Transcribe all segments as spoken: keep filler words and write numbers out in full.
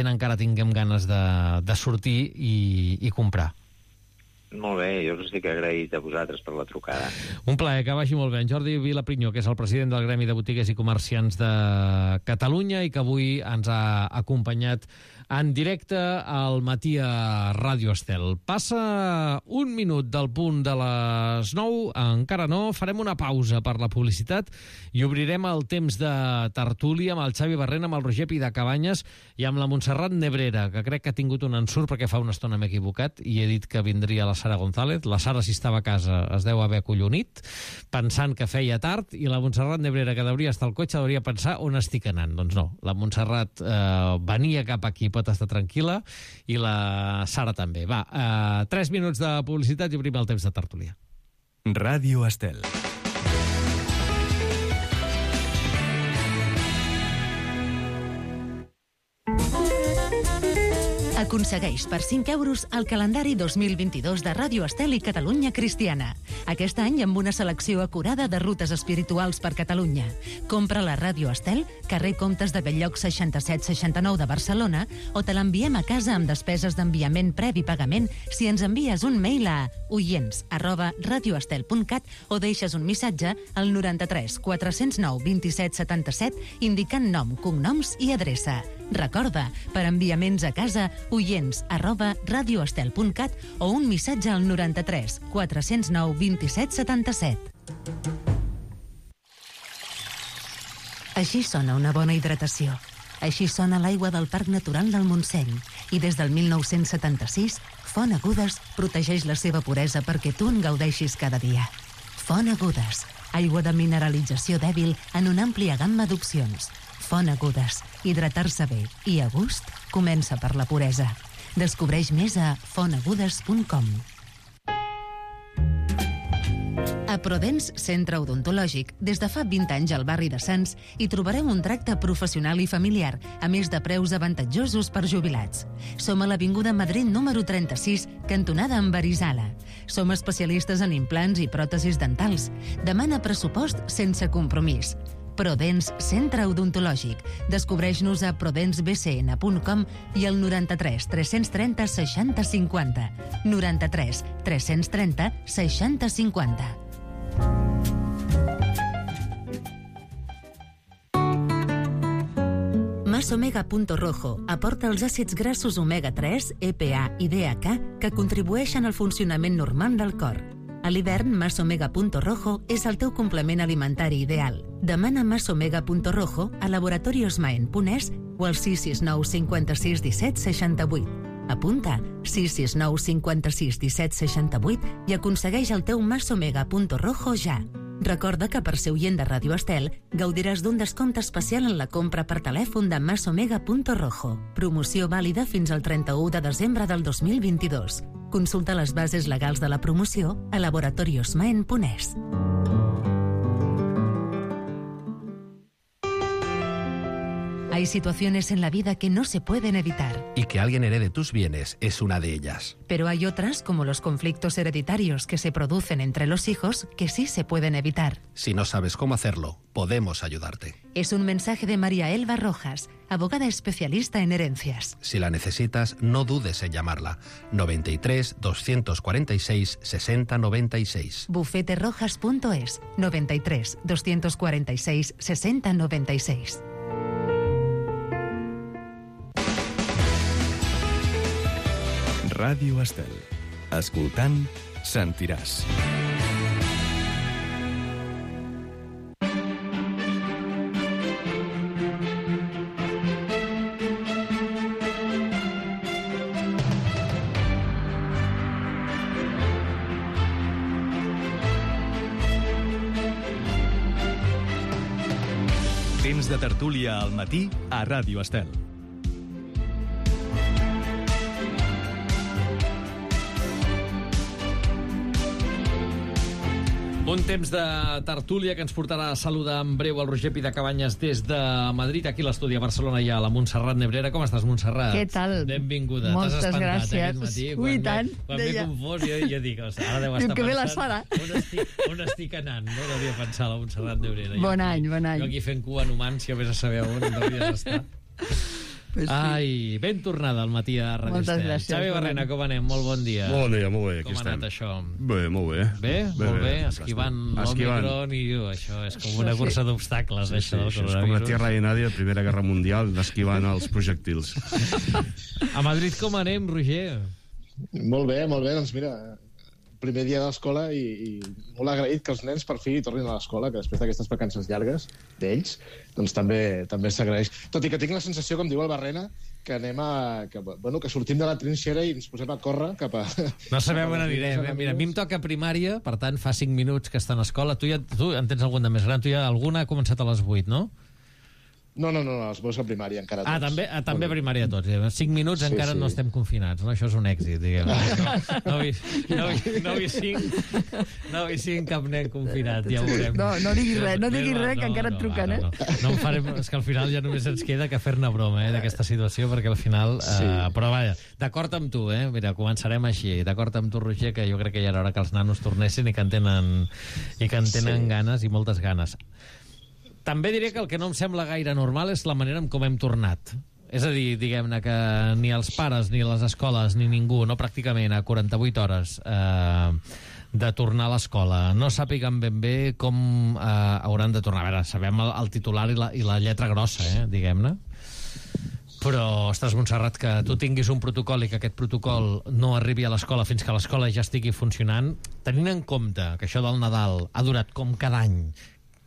encara tinguem ganes de, de sortir i, i comprar. Molt bé, jo us estic agraït a vosaltres per la trucada. Un plaer, que vagi molt bé. En Jordi Vilaprinyó, que és el president del Gremi de Botiguers i Comerciants de Catalunya i que avui ens ha acompanyat en directe al matí a Ràdio Estel. Passa un minut del punt de les nou, encara no, farem una pausa per la publicitat i obrirem el temps de tertúlia amb el Xavi Barrena, amb el Roger Pidacabanyes i amb la Montserrat Nebrera, que crec que ha tingut un ensurt perquè fa una estona m'he equivocat i he dit que vindria la Sara González. La Sara, si estava a casa, es deu haver acollonit, pensant que feia tard, i la Montserrat Nebrera, que devia estar al cotxe, devia pensar on estic anant. Doncs no, la Montserrat eh, venia cap aquí, pot estar tranquil·la, i la Sara també. Va, eh, tres minuts de publicitat i obrim el temps de tertúlia. Ràdio Estel. Aconsegueix per cinc euros el calendari dos mil vint-i-dos de Ràdio Estel i Catalunya Cristiana. Aquest any amb una selecció acurada de rutes espirituals per Catalunya. Compra la Ràdio Estel, carrer Comtes de Belllloc seixanta-set seixanta-nou de Barcelona, o te l'enviem a casa amb despeses d'enviament previ pagament si ens envies un mail a oients arroba radioestel punt cat o deixes un missatge al noranta-tres quatre-cents nou vint-i-set setanta-set indicant nom, cognoms i adreça. Recorda, per enviaments a casa, oients arroba radioestel punt cat o un missatge al noranta-tres quatre-cents nou vint-i-set setanta-set. Així sona una bona hidratació. Així sona l'aigua del Parc Natural del Montseny. I des del mil nou-cents setanta-sis, Font Agudes protegeix la seva puresa perquè tu en gaudeixis cada dia. Font Agudes, aigua de mineralització dèbil en una àmplia gamma d'opcions. Font Agudes. Hidratar-se bé i a gust comença per la puresa. Descobreix més a font agudes punt com. A Prodens Centre Odontològic, des de fa vint anys al barri de Sants, hi trobareu un tracte professional i familiar, a més de preus avantatjosos per jubilats. Som a l'Avinguda Madrid número trenta-sis, cantonada amb Arizala. Som especialistes en implants i pròtesis dentals. Demana pressupost sense compromís. Prodens Centre Odontològic. Descobreix-nos a prodens b c n punt com i al noranta-tres tres-cents trenta seixanta cinquanta. noranta-tres tres-cents trenta seixanta cinquanta. Mas Omega Punto Rojo aporta els àcids grassos omega tres, E P A i D H A que contribueixen al funcionament normal del cor. A l'hivern, Mas Omega Punto Rojo és el teu complement alimentari ideal. Demana Mas Omega Punto Rojo a Laboratorios Maen punt es o al sis sis nou cinquanta-sis disset seixanta-vuit. Apunta sis sis nou cinquanta-sis disset seixanta-vuit i aconsegueix el teu Mas Omega Punto Rojo ja. Recorda que per ser oient de Ràdio Estel gaudiràs d'un descompte especial en la compra per telèfon de Mas Omega Punto Rojo. Promoció vàlida fins al trenta-u de desembre del dos mil vint-i-dos. Consulta les bases legals de la promoció a laboratorios maen punt es. Hay situaciones en la vida que no se pueden evitar. Y que alguien herede tus bienes es una de ellas. Pero hay otras, como los conflictos hereditarios que se producen entre los hijos, que sí se pueden evitar. Si no sabes cómo hacerlo, podemos ayudarte. Es un mensaje de María Elba Rojas, abogada especialista en herencias. Si la necesitas, no dudes en llamarla. noventa y tres, doscientos cuarenta y seis, sesenta noventa y seis. bufete rojas punto es, noventa y tres, doscientos cuarenta y seis, sesenta noventa y seis. Ràdio Estel. Escoltant, sentiràs. Temps de tertúlia al matí a Ràdio Estel. Un temps de tertúlia que ens portarà a saludar en breu el Roger Pidacabanyes des de Madrid, aquí a l'estudi a Barcelona hi ha la Montserrat Nebrera. Com estàs, Montserrat? Què tal? Benvinguda. Moltes T'has espantat gràcies. aquest matí? Ui, Quan tant, m'he- Quan m'he deia. confós, jo, jo dic, o sigui, ara deu Diu estar que ve la pensant Sara. on estic, on estic anant, no? Devia pensar la Montserrat Nebrera. Jo Bon aquí- any, bon any. Jo aquí fent cua en humans, si jo vés a saber on devries estar. Pues sí. Ai, ben tornada al matí a Radio Moltes Estel. gràcies, Xavi Barrena, com anem? Molt bon dia. Bon dia, molt bé, aquí com ha estem. anat això? Bé, molt bé. Bé? bé molt bé, bé. esquivant Esquivant. l'Omicron i uh, això és com una cursa d'obstacles, Sí, sí, això del això és com la coronavirus. Tierra de Nadie, Primera Guerra Mundial, d'esquivant els projectils. A Madrid com anem, Roger? Molt bé, molt bé, doncs mira, primer dia de l'escola i, i molt agraït que els nens per fi tornin a l'escola, que després d'aquestes vacances llargues d'ells, doncs també també s'agraeix. Tot i que tinc la sensació, com diu el Barrena, que anem a... Que, bueno, que sortim de la trinxera i ens posem a córrer cap a... No sabem on anirem, eh? Mira, a mi em toca primària, per tant, fa cinc minuts que està a l'escola. Tu, ja, tu en tens algun de més gran? Tu ja alguna ha començat a les vuit, no? No, no, no, els meus a primària encara tots. Ah, també, ah, també a primària tots. Cinc minuts Sí, encara sí. no estem confinats, no? Això és un èxit, diguem. No, no, he vist, no, he- no he vist cinc, no he vist cinc cap nen confinat, ja ho veurem. No, no diguis res, no diguis Més res, val, que encara et truquen, no, no, no. No em farem, és que al final ja només ens queda que fer-ne broma, eh, d'aquesta situació, perquè al final... Sí. Eh, però vaja, d'acord amb tu, eh? Mira, començarem així. D'acord amb tu, Roger, que jo crec que ja era hora que els nanos tornessin i que en tenen, i que en tenen Sí. ganes, i moltes ganes. També diré que el que no em sembla gaire normal és la manera en com hem tornat. És a dir, diguem-ne que ni els pares, ni les escoles, ni ningú, no pràcticament a quaranta-vuit hores eh, de tornar a l'escola, no sàpiguen ben bé com eh, hauran de tornar. A veure, sabem el, el titular i la, i la lletra grossa, eh, diguem-ne. Però, ostres, Montserrat, que tu tinguis un protocol i que aquest protocol no arribi a l'escola fins que l'escola ja estigui funcionant, tenint en compte que això del Nadal ha durat com cada any,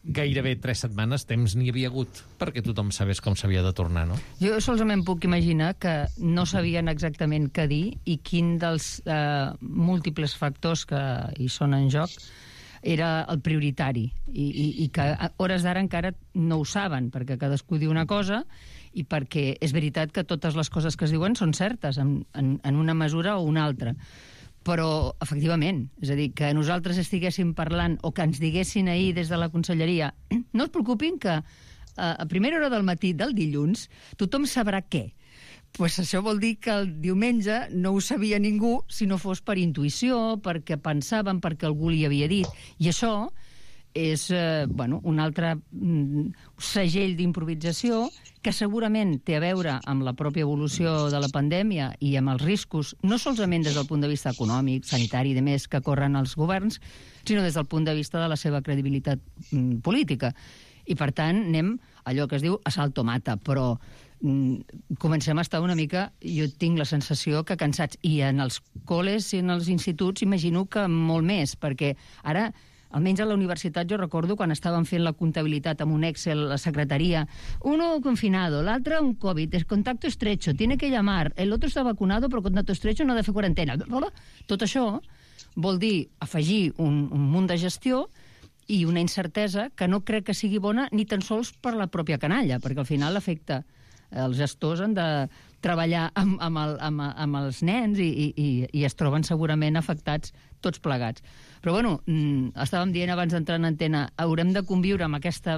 gairebé tres setmanes, temps n'hi havia hagut perquè tothom sabés com s'havia de tornar, no? Jo solament puc imaginar que no sabien exactament què dir i quin dels eh, múltiples factors que hi són en joc era el prioritari i, i, i que a hores d'ara encara no ho saben, perquè cadascú diu una cosa i perquè és veritat que totes les coses que es diuen són certes en, en, en una mesura o una altra. Però, efectivament, és a dir, que nosaltres estiguéssim parlant o que ens diguessin ahir des de la conselleria no es preocupin que eh, a primera hora del matí del dilluns tothom sabrà què. Pues això vol dir que el diumenge no ho sabia ningú si no fos per intuïció, perquè pensaven, perquè algú li havia dit. I això és eh, bueno, un altre mm, segell d'improvisació que segurament té a veure amb la pròpia evolució de la pandèmia i amb els riscos, no solament des del punt de vista econòmic, sanitari i de més que corren els governs, sinó des del punt de vista de la seva credibilitat mm, política. I, per tant, anem allò que es diu a salto mata, però mm, comencem a estar una mica, jo tinc la sensació que cansats, i en els col·les i en els instituts imagino que molt més, perquè ara almenys a la universitat jo recordo quan estaven fent la comptabilitat amb un Excel a la secretaria, uno confinado, l'altre un Covid, es contacto estrecho, tiene que llamar, el otro está vacunado però contacto estrecho no ha de fer quarantena. Tot això vol dir afegir un, un munt de gestió i una incertesa que no crec que sigui bona ni tan sols per la pròpia canalla, perquè al final afecta els gestors han de treballar amb, amb, el, amb, amb els nens i, i, i es troben segurament afectats tots plegats. Però, bueno, estàvem dient abans d'entrar en antena, haurem de conviure amb aquesta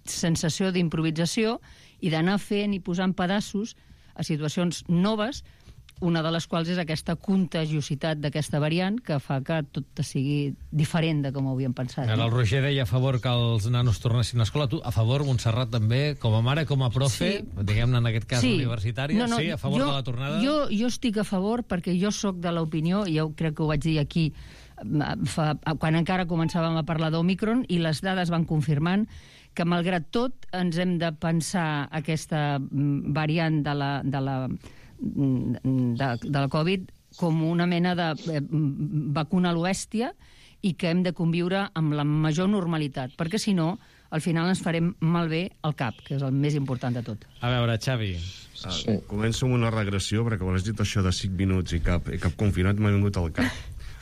sensació d'improvisació i d'anar fent i posant pedaços a situacions noves, una de les quals és aquesta contagiositat d'aquesta variant que fa que tot sigui diferent de com ho havíem pensat. Ara el Roger deia a favor que els nanos tornessin a escola. Tu, a favor, Montserrat, també, com a mare, com a profe, sí. diguem-ne en aquest cas sí. universitària, no, no, sí, a favor jo, de la tornada? Jo, jo estic a favor perquè jo sóc de l'opinió, i jo crec que ho vaig dir aquí, fa, quan encara començàvem a parlar d'Omicron, i les dades van confirmant que, malgrat tot, ens hem de pensar aquesta variant de la... De la De, de la Covid com una mena de eh, vacuna a l'oèstia i que hem de conviure amb la major normalitat, perquè si no, al final ens farem malbé el cap, que és el més important de tot. A veure, Xavi. Ah, començo amb una regressió, perquè quan has dit això de cinc minuts i cap, i cap confinat m'ha vingut al cap.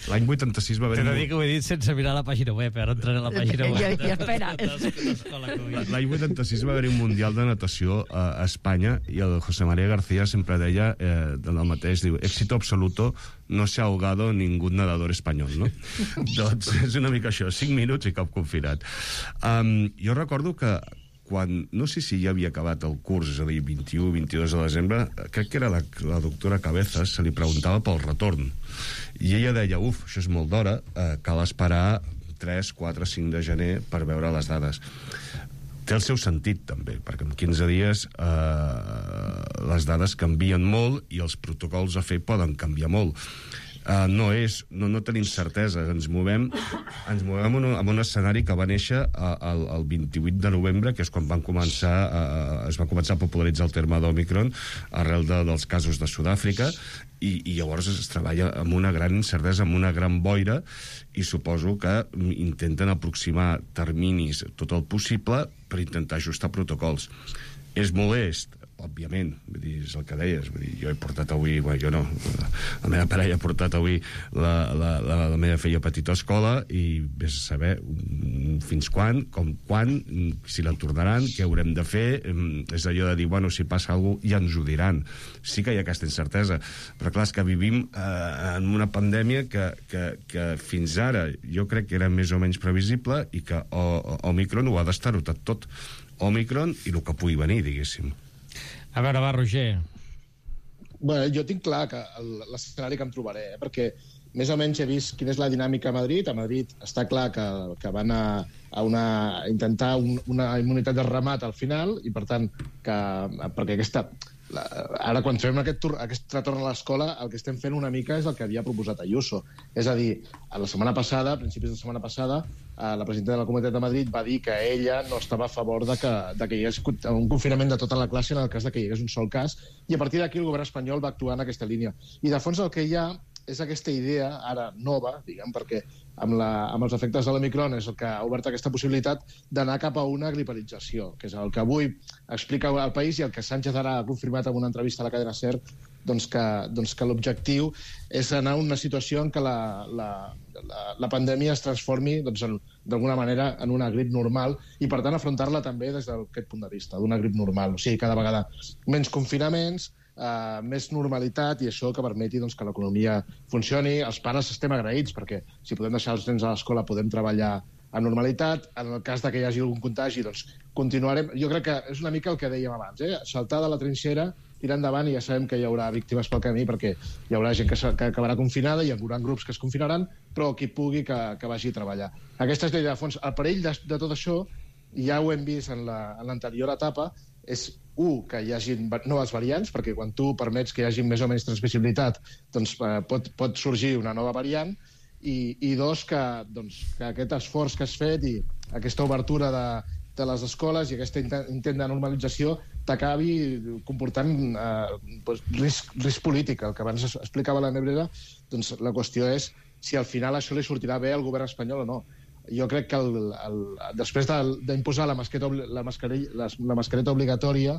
L'any vuitanta-sis va haver... T'he de dir que ho he dit sense mirar la pàgina web, ara entraré a la pàgina web. I, i espera. L'any vuitanta-sis va haver un Mundial de Natació a Espanya i el José María García sempre deia eh, del mateix, diu, éxito absoluto, no se ha ahogado ningún nadador espanyol, no? Doncs és una mica això, cinc minuts i cap confinat. Um, jo recordo que quan, no sé si ja havia acabat el curs, és a dir, vint-i-u vint-i-dos de desembre, crec que era la, la doctora Cabezas, se li preguntava pel retorn. I ella deia, uf, això és molt d'hora, eh, cal esperar tres, quatre, cinc de gener per veure les dades. té el seu sentit, també, perquè en quinze dies eh, les dades canvien molt i els protocols a fer poden canviar molt. Uh, no és, no, no tenim certesa, ens movem ens movem en un, en un escenari que va néixer uh, el, el vint-i-vuit de novembre, que és quan van començar uh, es va començar a popularitzar el terme d'Omicron arrel de, dels casos de Sud-àfrica, i, i llavors es treballa amb una gran incertesa, amb una gran boira, i suposo que intenten aproximar terminis tot el possible per intentar ajustar protocols. És molest, òbviament, vull dir, és el que deies, vull dir, jo he portat avui, bueno, jo no, la meva parella ha portat avui la, la, la, la meva filla petita a escola, i vés a saber fins quan, com quan, si la tornaran, què haurem de fer, és allò de dir, bueno, si passa alguna cosa ja ens ho diran. Sí que hi ha aquesta incertesa, però clar, és que vivim eh, en una pandèmia que, que, que fins ara jo crec que era més o menys previsible, i que o, o, Omicron ho ha d'estar-ho tot, tot. Omicron i el que pugui venir, diguéssim. A veure, va, Roger. Bueno, jo tinc clar que l'escenari que em trobaré, eh? perquè més o menys he vist quina és la dinàmica a Madrid. A Madrid està clar que, que van a, a, una, a intentar un, una immunitat de remat al final, i per tant, que, perquè aquesta... La, ara, quan fem aquest, aquest retorn a l'escola, el que estem fent una mica és el que havia proposat Ayuso. És a dir, a la setmana passada, a principis de la setmana passada, la presidenta de la Comunitat de Madrid va dir que ella no estava a favor de que, de que hi hagués un confinament de tota la classe en el cas de que hi hagués un sol cas, i a partir d'aquí el govern espanyol va actuar en aquesta línia. I de fons el que hi ha és aquesta idea, ara nova, diguem, perquè amb, la, amb els efectes de l'Omicron és el que ha obert aquesta possibilitat d'anar cap a una gripalització, que és el que avui explica el País, i el que Sánchez ara ha confirmat en una entrevista a la cadena SER, doncs que, doncs que l'objectiu és anar a una situació en què la, la, la, la pandèmia es transformi doncs, d'alguna manera en una grip normal, i per tant afrontar-la també des d'aquest punt de vista, d'una grip normal. O sigui, cada vegada menys confinaments, Uh, més normalitat, i això que permeti doncs, que l'economia funcioni. Els pares estem agraïts, perquè si podem deixar els nens a l'escola podem treballar amb normalitat. En el cas de que hi hagi algun contagi, doncs continuarem. Jo crec que és una mica el que dèiem abans, eh? Saltar de la trinxera, tirar endavant, i ja sabem que hi haurà víctimes pel camí, perquè hi haurà gent que, que acabarà confinada, hi haurà grups que es confinaran, però qui pugui que, que vagi a treballar. Aquesta és la idea de fons. El perill de, de tot això, ja ho hem vist en l'anterior la, etapa, és, un, que hi hagi noves variants, perquè quan tu permets que hi hagi més o menys transmissibilitat, doncs eh, pot, pot sorgir una nova variant, i, i dos, que, doncs, que aquest esforç que has fet i aquesta obertura de, de les escoles i aquest intent de normalització t'acabi comportant eh, doncs, risc, risc polític. El que abans explicava la Nebrera, doncs la qüestió és si al final això li sortirà bé al govern espanyol o no. Jo crec que el, el, després d'imposar la, la, la, la mascareta obligatòria,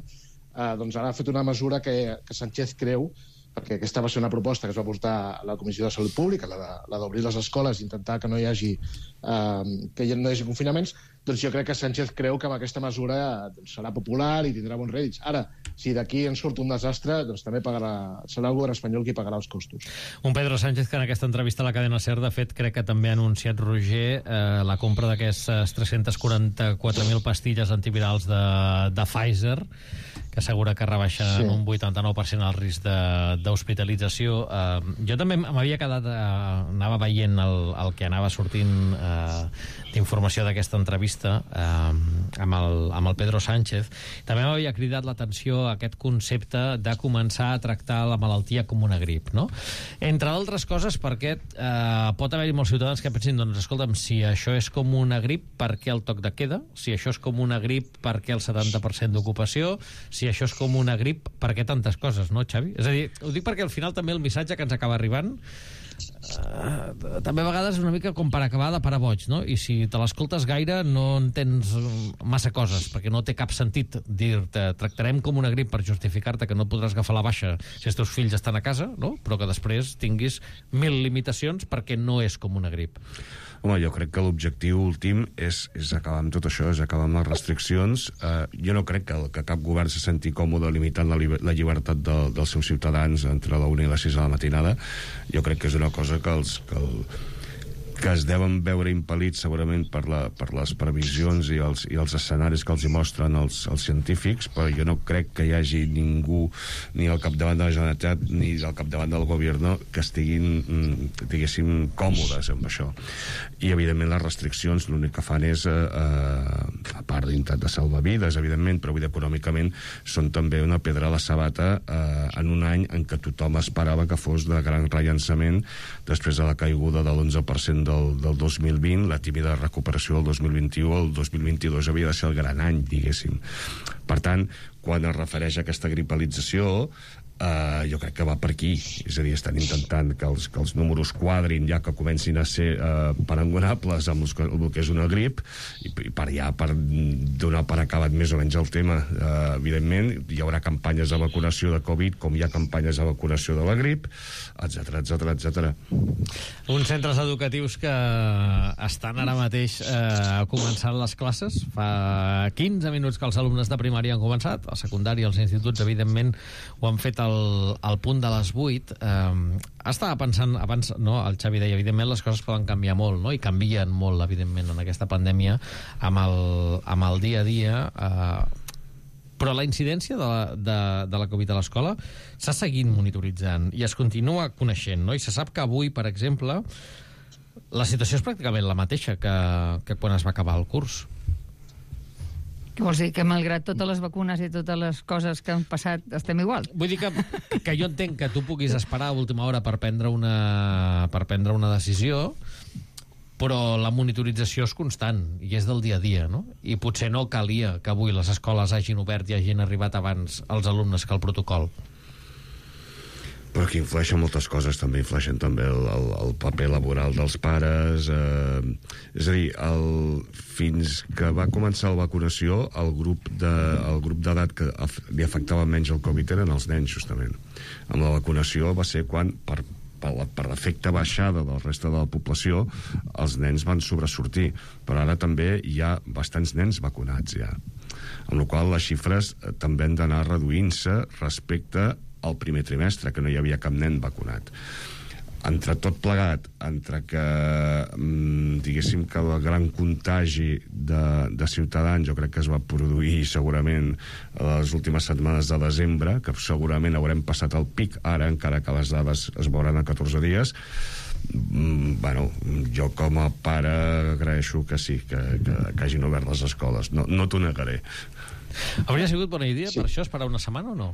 eh, doncs ara ha fet una mesura que, que Sánchez creu, perquè aquesta va ser una proposta que es va portar a la Comissió de Salut Pública, la d'obrir les escoles i intentar que no hi hagi, eh, que no hi hagi confinaments. Doncs jo crec que Sánchez creu que amb aquesta mesura doncs, serà popular i tindrà bons rèdits. Ara, si d'aquí en surt un desastre, doncs també pagarà, serà el govern espanyol qui pagarà els costos. Un Pedro Sánchez que en aquesta entrevista a la cadena SER, de fet, crec que també ha anunciat, Roger, eh, la compra d'aquestes tres-centes quaranta-quatre mil pastilles antivirals de, de Pfizer, que assegura que rebaixa sí. en un vuitanta-nou per cent el risc d'hospitalització. Eh, jo també m'havia quedat, eh, anava veient el, el que anava sortint eh, d'informació d'aquesta entrevista eh, amb, el, amb el Pedro Sánchez. També m'havia cridat l'atenció aquest concepte de començar a tractar la malaltia com una grip, no? Entre altres coses perquè eh, pot haver-hi molts ciutadans que pensin, doncs escolta'm, si això és com una grip, per què el toc de queda? Si això és com una grip, per què el setanta per cent d'ocupació? Si això és com una grip, per què tantes coses, no, Xavi? És a dir, ho dic perquè al final també el missatge que ens acaba arribant Uh, també a vegades és una mica com per acabar de parar boig, no? I si te l'escoltes gaire no entens massa coses, perquè no té cap sentit dir-te tractarem com una grip per justificar-te que no podràs agafar la baixa si els teus fills estan a casa, no? Però que després tinguis mil limitacions perquè no és com una grip. Home, jo crec que l'objectiu últim és, és acabar amb tot això, és acabar amb les restriccions. Uh, jo no crec que, que cap govern se senti còmode limitant la, la llibertat de, dels seus ciutadans entre la una i les sis de la matinada. Jo crec que és una cosa que, els, que, el, que es deuen veure impel·lits segurament per, la, per les previsions i els, i els escenaris que els hi mostren els, els científics, però jo no crec que hi hagi ningú, ni al capdavant de la Generalitat ni al capdavant del govern, que estiguin, diguéssim, còmodes amb això. I, evidentment, les restriccions l'únic que fan és, eh, a part d'intentar de salvar vides, evidentment, però vull dir, econòmicament són també una pedra a la sabata eh, en un any en què tothom esperava que fos de gran rellançament després de la caiguda de l'onze per cent del, del dos mil vint, la tímida recuperació del dos mil vint-i-u, el dos mil vint-i-dos havia de ser el gran any, diguéssim. Per tant, quan es refereix a aquesta gripalització, Uh, jo crec que va per aquí, és a dir, estan intentant que els, que els números quadrin, ja que comencin a ser uh, parangonables amb els, el que és una grip, i, i per ja per donar per acabat més o menys el tema. Uh, evidentment, hi haurà campanyes de vacunació de Covid, com hi ha campanyes de vacunació de la grip, etcètera, etcètera, etcètera. Uns centres educatius que estan ara mateix eh, començant les classes. Fa quinze minuts que els alumnes de primària han començat, a secundària, els instituts, evidentment, ho han fet al Al, al punt de les vuit. Eh, estava pensant abans, no, el Xavi deia, evidentment les coses poden canviar molt, no? I canvien molt, evidentment, en aquesta pandèmia amb el, amb el dia a dia, eh, però la incidència de la, de, de la Covid a l'escola s'ha seguit monitoritzant i es continua coneixent, no? I se sap que avui, per exemple, la situació és pràcticament la mateixa que, que quan es va acabar el curs. Què vols dir? Que malgrat totes les vacunes i totes les coses que han passat estem igual? Vull dir que, que jo entenc que tu puguis esperar a última hora per prendre una, per prendre una decisió, però la monitorització és constant i és del dia a dia, no? I potser no calia que avui les escoles hagin obert i hagin arribat abans els alumnes que el protocol. Però que influeixen moltes coses, també influeixen també el, el, el paper laboral dels pares, eh, és a dir, el, fins que va començar la vacunació, el grup de, el grup d'edat que li afectava menys el Covid eren els nens, justament. Amb la vacunació va ser quan, per, per, per l'efecte baixada del reste de la població, els nens van sobresortir, però ara també hi ha bastants nens vacunats, ja. Amb la qual cosa les xifres també han d'anar reduint-se respecte al primer trimestre, que no hi havia cap nen vacunat. Entre tot plegat, entre que diguéssim que el gran contagi de, de ciutadans jo crec que es va produir segurament a les últimes setmanes de desembre, que segurament haurem passat el pic ara, encara que les dades es veuran a catorze dies. Bueno, jo com a pare agraeixo que sí, que, que, que hagin obert les escoles, no, no t'ho negaré. Hauria sigut bona idea, sí, per això esperar una setmana o no?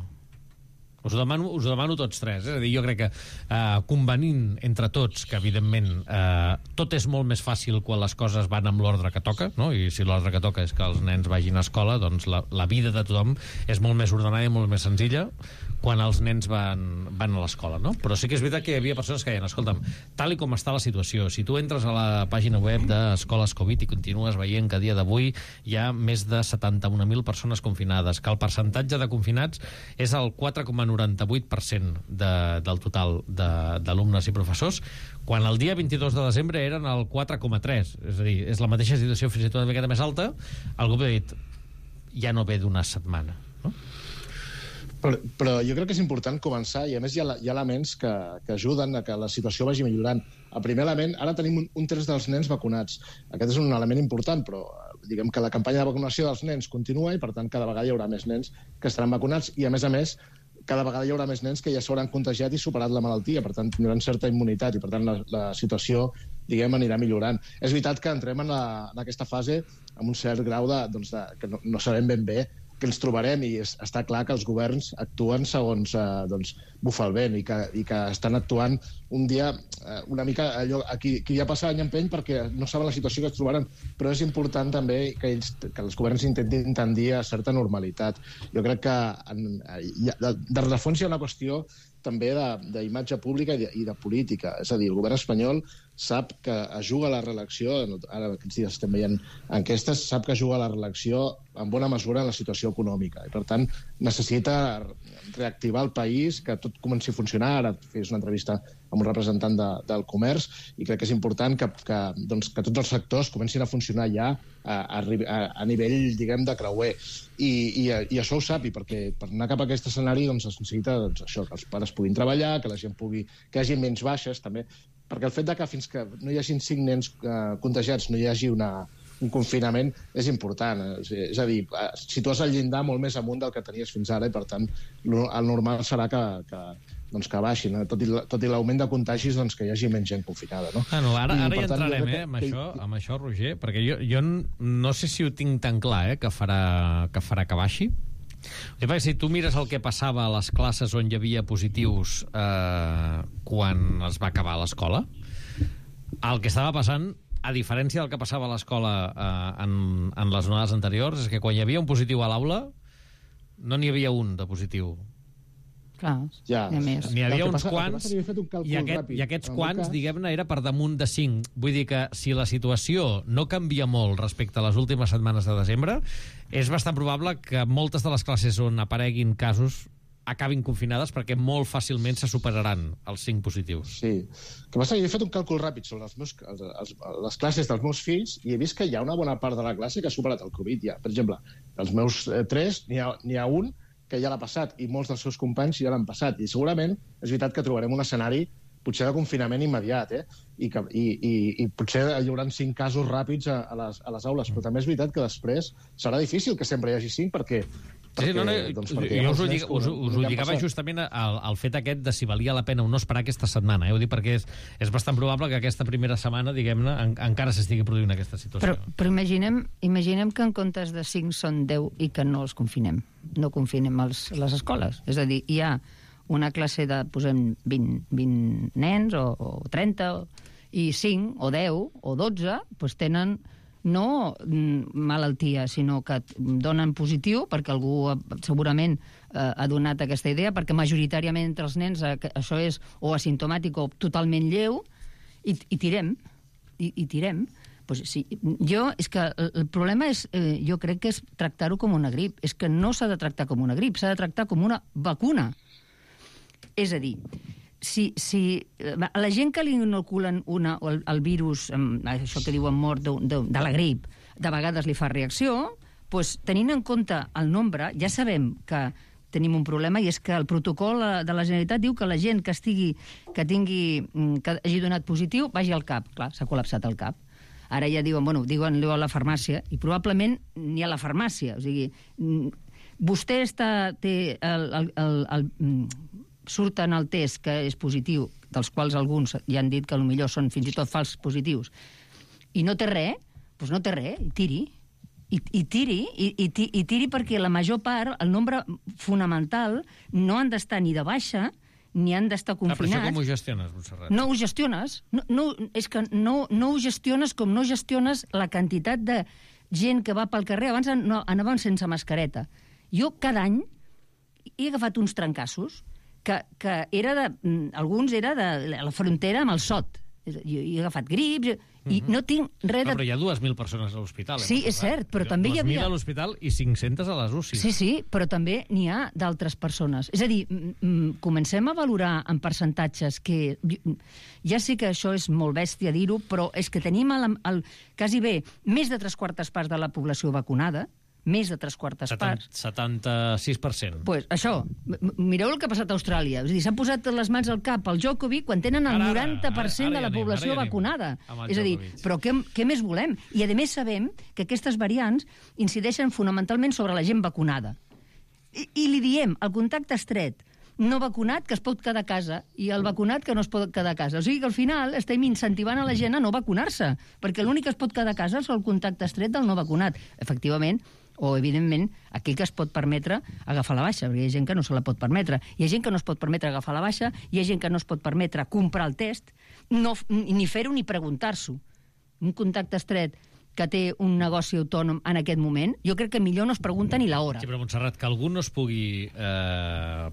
Us ho demano, us ho demano tots tres. Eh? És a dir, jo crec que eh, convenint entre tots que, evidentment, eh, tot és molt més fàcil quan les coses van amb l'ordre que toca, no? I si l'ordre que toca és que els nens vagin a escola, doncs la, la vida de tothom és molt més ordenada i molt més senzilla quan els nens van, van a l'escola, no? Però sí que és veritat que hi havia persones que deien, escolta'm, tal i com està la situació, si tu entres a la pàgina web d'Escoles Covid i continues veient que a dia d'avui hi ha més de setanta-un mil persones confinades, que el percentatge de confinats és el quatre coma noranta-vuit per cent de, del total d'alumnes i professors, quan el dia vint-i-dos de desembre eren el quatre coma tres. És a dir, és la mateixa situació, fins i tot una miqueta més alta. Algú ha dit, ja no ve d'una setmana, no? Però, però jo crec que és important començar, i a més hi ha, hi ha elements que, que ajuden a que la situació vagi millorant. El primer element, ara tenim un, un terç dels nens vacunats. Aquest és un element important, però diguem que la campanya de vacunació dels nens continua i, per tant, cada vegada hi haurà més nens que estaran vacunats i, a més a més, cada vegada hi haurà més nens que ja s'hauran contagiat i superat la malaltia, per tant, tindran certa immunitat i, per tant, la, la situació, diguem, anirà millorant. És veritat que entrem en, la, en aquesta fase amb un cert grau de, doncs, de, que no, no sabem ben bé que ens trobarem, i és, està clar que els governs actuen segons eh, doncs, bufa el vent, i que, i que estan actuant un dia eh, una mica allò, a qui, qui ja passa any empeny perquè no saben la situació que es trobaran, però és important també que, ells, que els governs intentin tendir a certa normalitat. Jo crec que en, de, de refons hi ha una qüestió també d'imatge pública i de, i de política. És a dir, el govern espanyol sap que es juga a la reelecció, ara aquests dies estem veient enquestes, sap que es juga a la reelecció en bona mesura en la situació econòmica. I, per tant, necessita reactivar el país, que tot comenci a funcionar. Ara fes una entrevista amb un representant de, del comerç, i crec que és important que, que, doncs, que tots els sectors comencin a funcionar ja a, a, a nivell, diguem, de creuer. I, i, i això ho sap, i perquè per anar cap a aquest escenari doncs, es necessita doncs, això, que els pares puguin treballar, que la gent pugui, que hi hagi menys baixes, també. perquè el fet de que fins que no hi hagin cinc nens eh, contagiats no hi hagi una, un confinament és important. Eh? És a dir, situes el llindar molt més amunt del que tenies fins ara i, per tant, el normal serà que, que, doncs que baixin, eh? tot i, tot i l'augment de contagis, doncs que hi hagi menys gent confinada. No? Ah, no, ara, ara I, hi entrarem, tant, eh, amb, que... això, amb això, Roger, perquè jo, jo no sé si ho tinc tan clar, eh, que farà que, farà que baixi. Perquè si tu mires el que passava a les classes on hi havia positius eh, quan es va acabar l'escola, el que estava passant, a diferència del que passava a l'escola eh, en, en les onades anteriors, és que quan hi havia un positiu a l'aula no n'hi havia un de positiu. Clar, ja. N'hi havia uns passa, quants un i, aquest, i aquests quants, cas... diguem-ne, era per damunt de cinc. Vull dir que si la situació no canvia molt respecte a les últimes setmanes de desembre, és bastant probable que moltes de les classes on apareguin casos acabin confinades perquè molt fàcilment se superaran els cinc positius. Sí. El que passa, jo he fet un càlcul ràpid sobre els meus, els, els, les classes dels meus fills i he vist que hi ha una bona part de la classe que ha superat el Covid ja. Per exemple, dels meus eh, tres n'hi ha, n'hi ha un que ja l'ha passat i molts dels seus companys ja l'han passat. I segurament és veritat que trobarem un escenari potser de confinament immediat, eh? I, que, i, i, i potser hi haurà cinc casos ràpids a, a, les, a les aules, però també és veritat que després serà difícil que sempre hi hagi cinc perquè... Sí, no, no, doncs, jo us ho, dic, us, us ho lligava justament al, al fet aquest de si valia la pena o no esperar aquesta setmana. Eh? Ho dic perquè és, és bastant probable que aquesta primera setmana, diguem-ne, en, encara s'estigui produint aquesta situació. Però, però imaginem, imaginem que en comptes de cinc són deu i que no els confinem. No confinem els, les escoles. És a dir, hi ha una classe de, posem, vint, vint nens o, o trenta, i cinc o deu o dotze doncs tenen no malaltia, sinó que donen positiu, perquè algú segurament eh, ha donat aquesta idea, perquè majoritàriament entre els nens eh, això és o asimptomàtic o totalment lleu, i, i tirem, i, i tirem. Pues sí, jo, és que el problema és, eh, jo crec que és tractar-ho com una grip. És que no s'ha de tractar com una grip, s'ha de tractar com una vacuna. És a dir, si, si a la gent que li inoculen una, el, el virus, això que diuen mort de, de, de la grip, de vegades li fa reacció, doncs, tenint en compte el nombre, ja sabem que tenim un problema, i és que el protocol de la Generalitat diu que la gent que estigui, que tingui, que hagi donat positiu, vagi al CAP. Clar, s'ha col·lapsat el CAP. Ara ja diuen, bueno, diuen-li a la farmàcia, i probablement ni a la farmàcia. O sigui, vostè està, té el, el, el, el, surten el test que és positiu, dels quals alguns ja han dit que potser són fins i tot fals positius, i no té res, doncs no té res, tiri. I, i tiri, i, i, i tiri perquè la major part, el nombre fonamental, no han d'estar ni de baixa, ni han d'estar confinats. Ah, però això com ho gestiones, Montserrat? No ho gestiones. No, no, és que no, no ho gestiones com no gestiones la quantitat de gent que va pel carrer. Abans no, anaven sense mascareta. Jo cada any he agafat uns trencassos que, que era de, alguns era de la frontera amb el Sot. Jo he agafat grips i no tinc res de... Però hi ha dues mil persones a l'hospital. Sí, és cert, però també hi havia... dues mil a l'hospital i cinc-centes a les U C I. Sí, sí, però també n'hi ha d'altres persones. És a dir, comencem a valorar en percentatges que... Ja sé que això és molt bèstia dir-ho, però és que tenim el, el, quasi bé més de tres quartes parts de la població vacunada, més de tres quartes parts. setanta-sis per cent. Pues això, mireu el que ha passat a Austràlia. És a dir, s'han posat les mans al cap al Djokovic quan tenen el ara, noranta per cent ara, ara, de la ja població anem, vacunada. És a dir, Djokovic. però què, què més volem? I a més sabem que aquestes variants incideixen fonamentalment sobre la gent vacunada. I, i li diem, el contacte estret, no vacunat que es pot quedar a casa i el vacunat que no es pot quedar a casa. O sigui que al final estem incentivant a la gent a no vacunar-se, perquè l'únic que es pot quedar a casa és el contacte estret del no vacunat. Efectivament, o, evidentment, aquell que es pot permetre agafar la baixa, perquè hi ha gent que no se la pot permetre. Hi ha gent que no es pot permetre agafar la baixa, hi ha gent que no es pot permetre comprar el test, no, ni fer-ho ni preguntar-s'ho. Un contacte estret que té un negoci autònom en aquest moment, jo crec que millor no es pregunta ni l'hora. Sí, però, Montserrat, que algú no es pugui eh,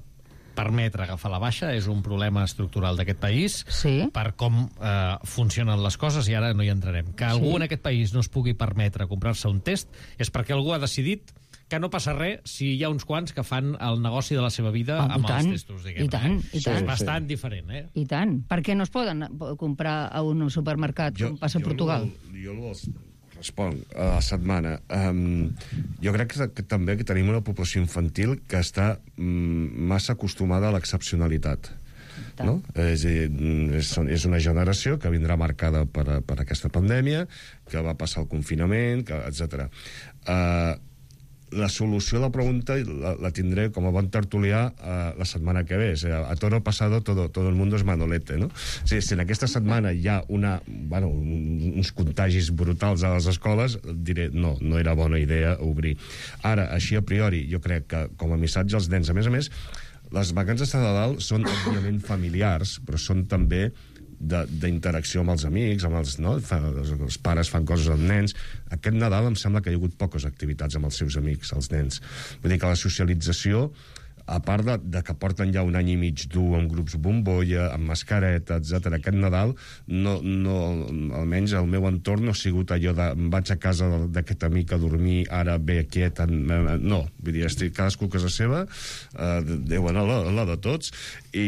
permetre agafar la baixa és un problema estructural d'aquest país, sí, per com eh, funcionen les coses, i ara no hi entrarem. Que algú sí. en aquest país no es pugui permetre comprar-se un test és perquè algú ha decidit que no passa res si hi ha uns quants que fan el negoci de la seva vida ah, amb tant, els testos, diguem. I tant, eh? i tant. És bastant sí. diferent, eh? I tant. Per què no es poden comprar a un supermercat jo, com passa a Portugal? Jo, jo els responc a la setmana. Um, jo crec que, que també que tenim una població infantil que està um, massa acostumada a l'excepcionalitat. no? És, és, és una generació que vindrà marcada per, per aquesta pandèmia, que va passar el confinament, que, etcètera. Uh, la solució a la pregunta la, la tindré com a bon tertulià uh, la setmana que ve. O sigui, a toro pasado todo, todo el mundo es manolete, no? O sigui, si en aquesta setmana hi ha una, bueno, uns contagis brutals a les escoles, diré, no, no era bona idea obrir. Ara, així a priori, jo crec que com a missatge als nens, a més a més, les vacances de Nadal són òbviament familiars, però són també d'interacció amb els amics, amb els, no? Els pares fan coses amb nens. Aquest Nadal em sembla que hi ha hagut poques activitats amb els seus amics, els nens. Vull dir que la socialització, a part de, de que porten ja un any i mig dur amb grups bombolla, amb mascareta, etcètera, aquest Nadal, no, no, almenys el meu entorn no ha sigut allò de em vaig a casa d'aquest amic a dormir, ara ve quiet, no, vull dir, estic cadascú a casa seva, eh, Déu en la, la de tots, i,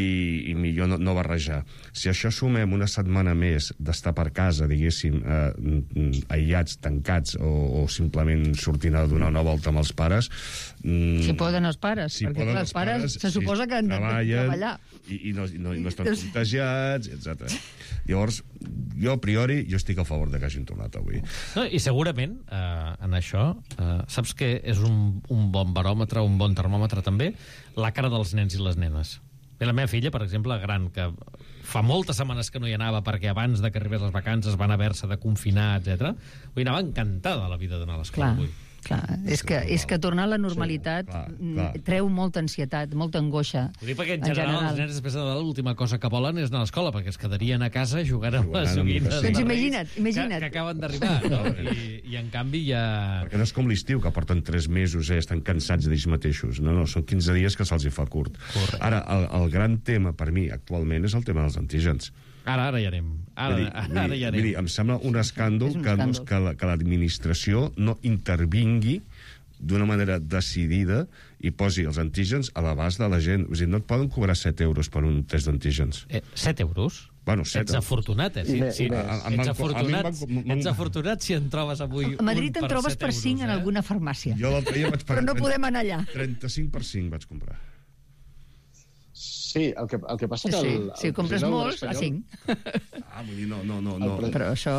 i millor no, no barrejar. Si això sumem una setmana més d'estar per casa, diguéssim, eh, aïllats, tancats, o, o simplement sortint a donar una volta amb els pares... Mm, si poden els pares, si perquè clar, els pares, pares se suposa si que han de treballar. I, i, no, i, no, i no estan contagiats, etcètera. Llavors, jo a priori, jo estic a favor de que hagin tornat avui. No, i segurament, eh, en això, eh, saps que és un, un bon baròmetre, un bon termòmetre també, la cara dels nens i les nenes. Bé, la meva filla, per exemple, gran, que fa moltes setmanes que no hi anava perquè abans de que arribés les vacances van haver-se de confinar, etcètera. Avui anava encantada la vida d'anar a l'escola avui. Clar, és que, és que tornar a la normalitat sí, clar, clar. treu molta ansietat, molta angoixa. Ho dic perquè en general, en general els nens després de Nadal l'última cosa que volen és anar a l'escola, perquè es quedarien a casa jugant amb les joguines. Doncs imagina't, imagina't. Que, que acaben d'arribar, no? I, I en canvi ja... Perquè no és com l'estiu, que porten tres mesos, eh, estan cansats d'ells mateixos. No, no, són quinze dies que se'ls hi fa curt. Correcte. Ara, el, el gran tema per mi actualment és el tema dels antígens. Ara, ara hi anem. Ara, dir, ara, ara hi anem. Dir, em sembla un escàndol, un que, escàndol. que, la, que l'administració no intervingui d'una manera decidida i posi els antígens a l'abast de la gent. O sigui, no et poden cobrar set euros per un test d'antígens. Eh, set euros? Bueno, set. Ets afortunat, eh? Sí, sí. Ets afortunat, ets afortunat si en trobes avui a Madrid en trobes per cinc en alguna farmàcia. Jo l'altre dia vaig pagar... Però no podem anar allà. trenta-cinc per cinc vaig comprar. Sí, el que, el que passa que... El, el, si compres molts, a cinc. Ah, vull dir, no, no, no. no. Però això...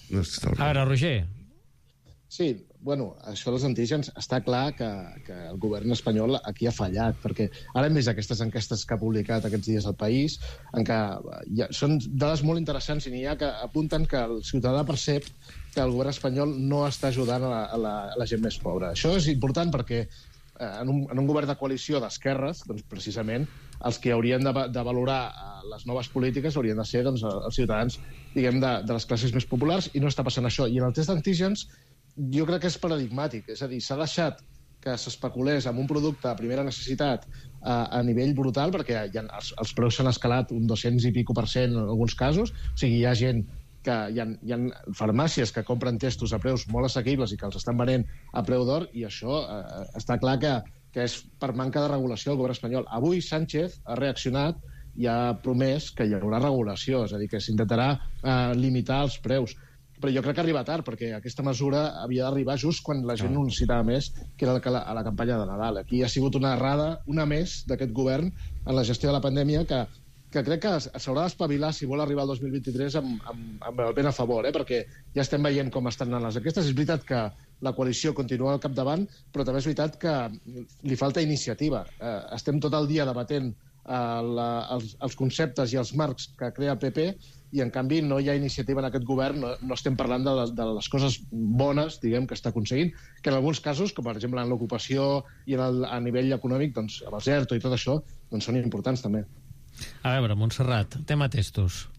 No, a veure, Roger. Sí, bueno, això dels antígens, està clar que, que el govern espanyol aquí ha fallat, perquè ara hem vist aquestes enquestes que ha publicat aquests dies al País, en què ja, són dades molt interessants i n'hi ha que apunten que el ciutadà percep que el govern espanyol no està ajudant a la, a la, a la gent més pobra. Això és important perquè en un, en un govern de coalició d'esquerres, doncs, precisament, els que haurien de, de valorar les noves polítiques haurien de ser doncs, els ciutadans, diguem, de, de les classes més populars, i no està passant això. I en el test d'antígens jo crec que és paradigmàtic, és a dir, s'ha deixat que s'especulés amb un producte a primera necessitat a, a nivell brutal, perquè hi ha, els, els preus s'han escalat un dos-cents i pico per cent en alguns casos, o sigui, hi ha gent que hi ha, hi ha farmàcies que compren testos a preus molt assequibles i que els estan venent a preu d'or, i això eh, està clar que, que és per manca de regulació del govern espanyol. Avui Sánchez ha reaccionat i ha promès que hi haurà regulació, és a dir, que s'intentarà eh, limitar els preus. Però jo crec que arriba tard, perquè aquesta mesura havia d'arribar just quan la gent ho necessitava més, que era la, a la campanya de Nadal. Aquí ha sigut una errada, una més, d'aquest govern en la gestió de la pandèmia, que, que crec que s'haurà d'espavilar si vol arribar al dos mil vint-i-tres amb, amb, amb el ben a favor, eh? Perquè ja estem veient com estan anant les enquestes. És veritat que la coalició continua al capdavant, però també és veritat que li falta iniciativa. Eh, estem tot el dia debatent eh, la, els, els conceptes i els marcs que crea el P P, i en canvi no hi ha iniciativa en aquest govern, no, no estem parlant de les, de les coses bones, diguem, que està aconseguint, que en alguns casos, com per exemple en l'ocupació i en el, a nivell econòmic, doncs, amb el ERTO i tot això, doncs són importants també. A veure, Montserrat, tema testos.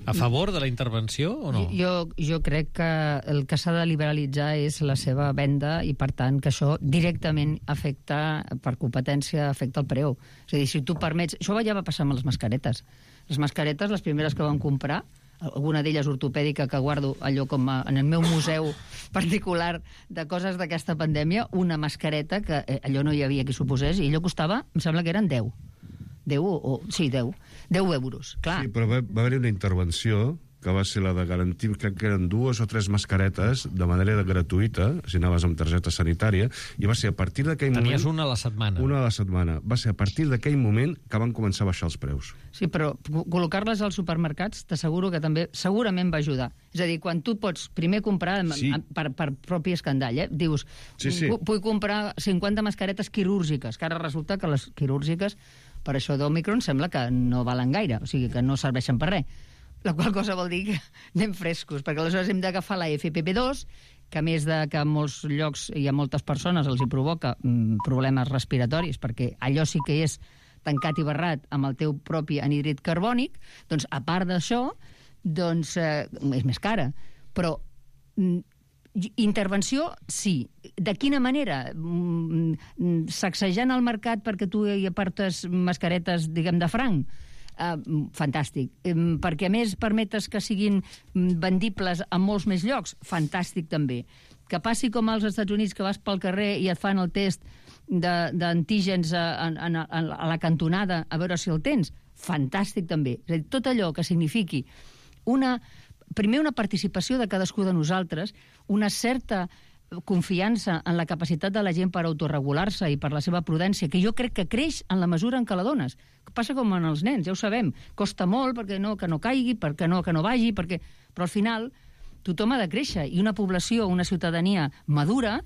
A favor de la intervenció o no? Jo, jo crec que el que s'ha de liberalitzar és la seva venda i, per tant, que això directament afecta, per competència, afecta el preu. És a dir, si tu permets... Això ja va passar amb les mascaretes. Les mascaretes, les primeres que vam comprar, alguna d'elles ortopèdica que guardo allò com a, en el meu museu particular de coses d'aquesta pandèmia, una mascareta que eh, allò no hi havia qui s'ho posés, i allò costava, em sembla que eren deu. deu o... Sí, deu. deu euros, clar. Sí, però va, va haver-hi una intervenció que va ser la de garantir, crec que eren dues o tres mascaretes de manera gratuïta, si anaves amb targeta sanitària, i va ser a partir d'aquell moment... Tenies una a la setmana. Una a la setmana. Va ser a partir d'aquell moment que van començar a baixar els preus. Sí, però col·locar-les als supermercats t'asseguro que també segurament va ajudar. És a dir, quan tu pots primer comprar Sí. per, per propi escandall, eh? Dius, Sí, sí. vull comprar cinquanta mascaretes quirúrgiques, que ara resulta que les quirúrgiques, per això d'Omicron, sembla que no valen gaire, o sigui, que no serveixen per res. La qual cosa vol dir que anem frescos, perquè aleshores hem d'agafar la F P P dos, que a més de que en molts llocs i a moltes persones els hi provoca mm, problemes respiratoris, perquè allò sí que és tancat i barrat amb el teu propi anhídrid carbònic, doncs a part d'això, doncs eh, és més cara. Però mm, intervenció, sí. De quina manera? Mm, sacsejant el mercat perquè tu hi aportes mascaretes, diguem, de franc? Uh, fantàstic. Um, perquè a més permetes que siguin vendibles a molts més llocs? Fantàstic també. Que passi com als Estats Units, que vas pel carrer i et fan el test d'antígens a, a, a, a la cantonada a veure si el tens? Fantàstic també. És a dir, tot allò que signifiqui una, primer una participació de cadascú de nosaltres, una certa confiança en la capacitat de la gent per autorregular-se i per la seva prudència, que jo crec que creix en la mesura en què la dones. Passa com en els nens, ja ho sabem. Costa molt perquè no, que no caigui, perquè no, que no vagi, perquè... però al final tothom ha de créixer, i una població, una ciutadania madura,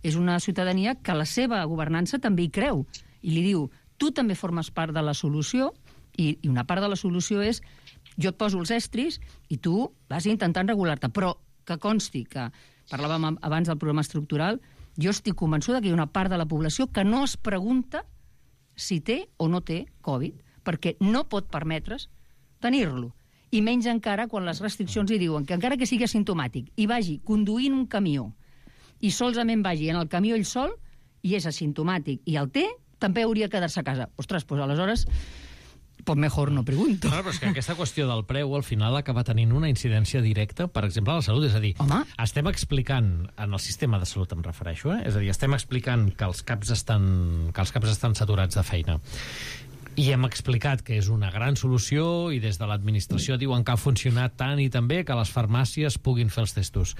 és una ciutadania que la seva governança també hi creu, i li diu, tu també formes part de la solució, i, i una part de la solució és, jo et poso els estris i tu vas intentant regular-te, però que consti que parlàvem abans del programa estructural, jo estic convençuda que hi ha una part de la població que no es pregunta si té o no té Covid, perquè no pot permetre's tenir-lo. I menys encara quan les restriccions hi diuen que encara que sigui asimptomàtic i vagi conduint un camió i solament vagi en el camió ell sol i és asimptomàtic i el té, també hauria de quedar-se a casa. Ostres, doncs aleshores... pues mejor no pregunto. No, però és que aquesta qüestió del preu al final acaba tenint una incidència directa, per exemple, a la salut. És a dir, Home. estem explicant, en el sistema de salut em refereixo, eh? És a dir, estem explicant que els caps estan, que els caps estan saturats de feina. I hem explicat que és una gran solució i des de l'administració diuen que ha funcionat tant i tan bé que les farmàcies puguin fer els testos.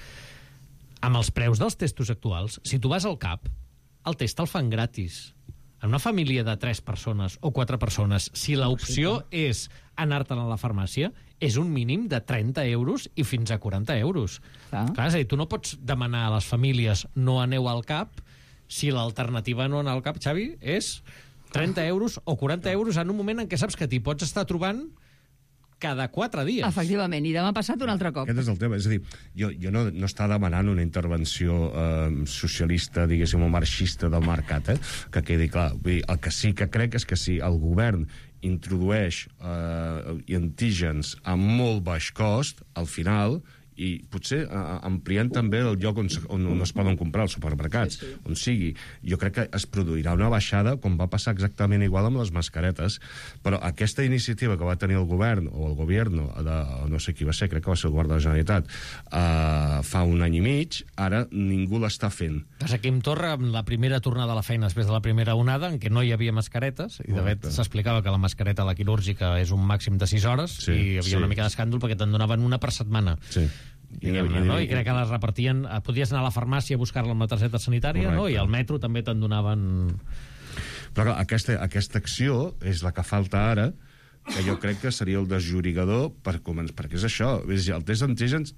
Amb els preus dels testos actuals, si tu vas al CAP, el test el fan gratis. En una família de tres persones o quatre persones, si l'opció és anar-te'n a la farmàcia, és un mínim de trenta euros i fins a quaranta euros. Ah. Clar, és a dir, tu no pots demanar a les famílies no aneu al CAP si l'alternativa no anar al CAP, Xavi, és trenta euros o quaranta euros en un moment en què saps que t'hi pots estar trobant cada quatre dies. Efectivament, i demà passat un altre cop. Aquest és el tema. És a dir, jo, jo no, no està demanant una intervenció eh, socialista, diguéssim, o marxista del mercat, eh? Que quedi clar. Vull dir, el que sí que crec és que si el govern introdueix eh, antígens a molt baix cost, al final, i potser eh, ampliant també el lloc on, on, on es poden comprar els supermercats, sí, sí. on sigui. Jo crec que es produirà una baixada, com va passar exactament igual amb les mascaretes, però aquesta iniciativa que va tenir el govern, o el govern, de, no sé qui va ser, crec que va ser el govern de la Generalitat, eh, fa un any i mig, ara ningú l'està fent. Doncs aquí em Torra, amb la primera tornada a la feina després de la primera onada, en què no hi havia mascaretes, i de fet s'explicava que la mascareta, la quirúrgica, és un màxim de sis hores, sí, i hi havia sí. una mica d'escàndol perquè te'n donaven una per setmana. Sí. I, I, no? I crec que les repartien... Podies anar a la farmàcia a buscar-la amb la targeta sanitària, no? I al metro també te'n donaven... Però clar, aquesta, aquesta acció és la que falta ara, que jo crec que seria el desllorigador per començar, perquè és això, és el test d'antígens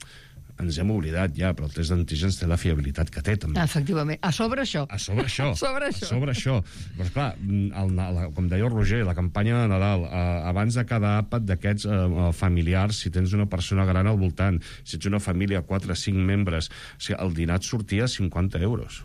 ens hem oblidat ja, però el test d'antígens té la fiabilitat que té, també. Efectivament. A sobre això. A sobre això. A sobre això. A sobre això. Però, esclar, el, la, com deia el Roger, la campanya de Nadal, eh, abans de cada àpat d'aquests eh, familiars, si tens una persona gran al voltant, si ets una família, quatre o cinc membres, o sigui, el dinar et sortia cinquanta euros.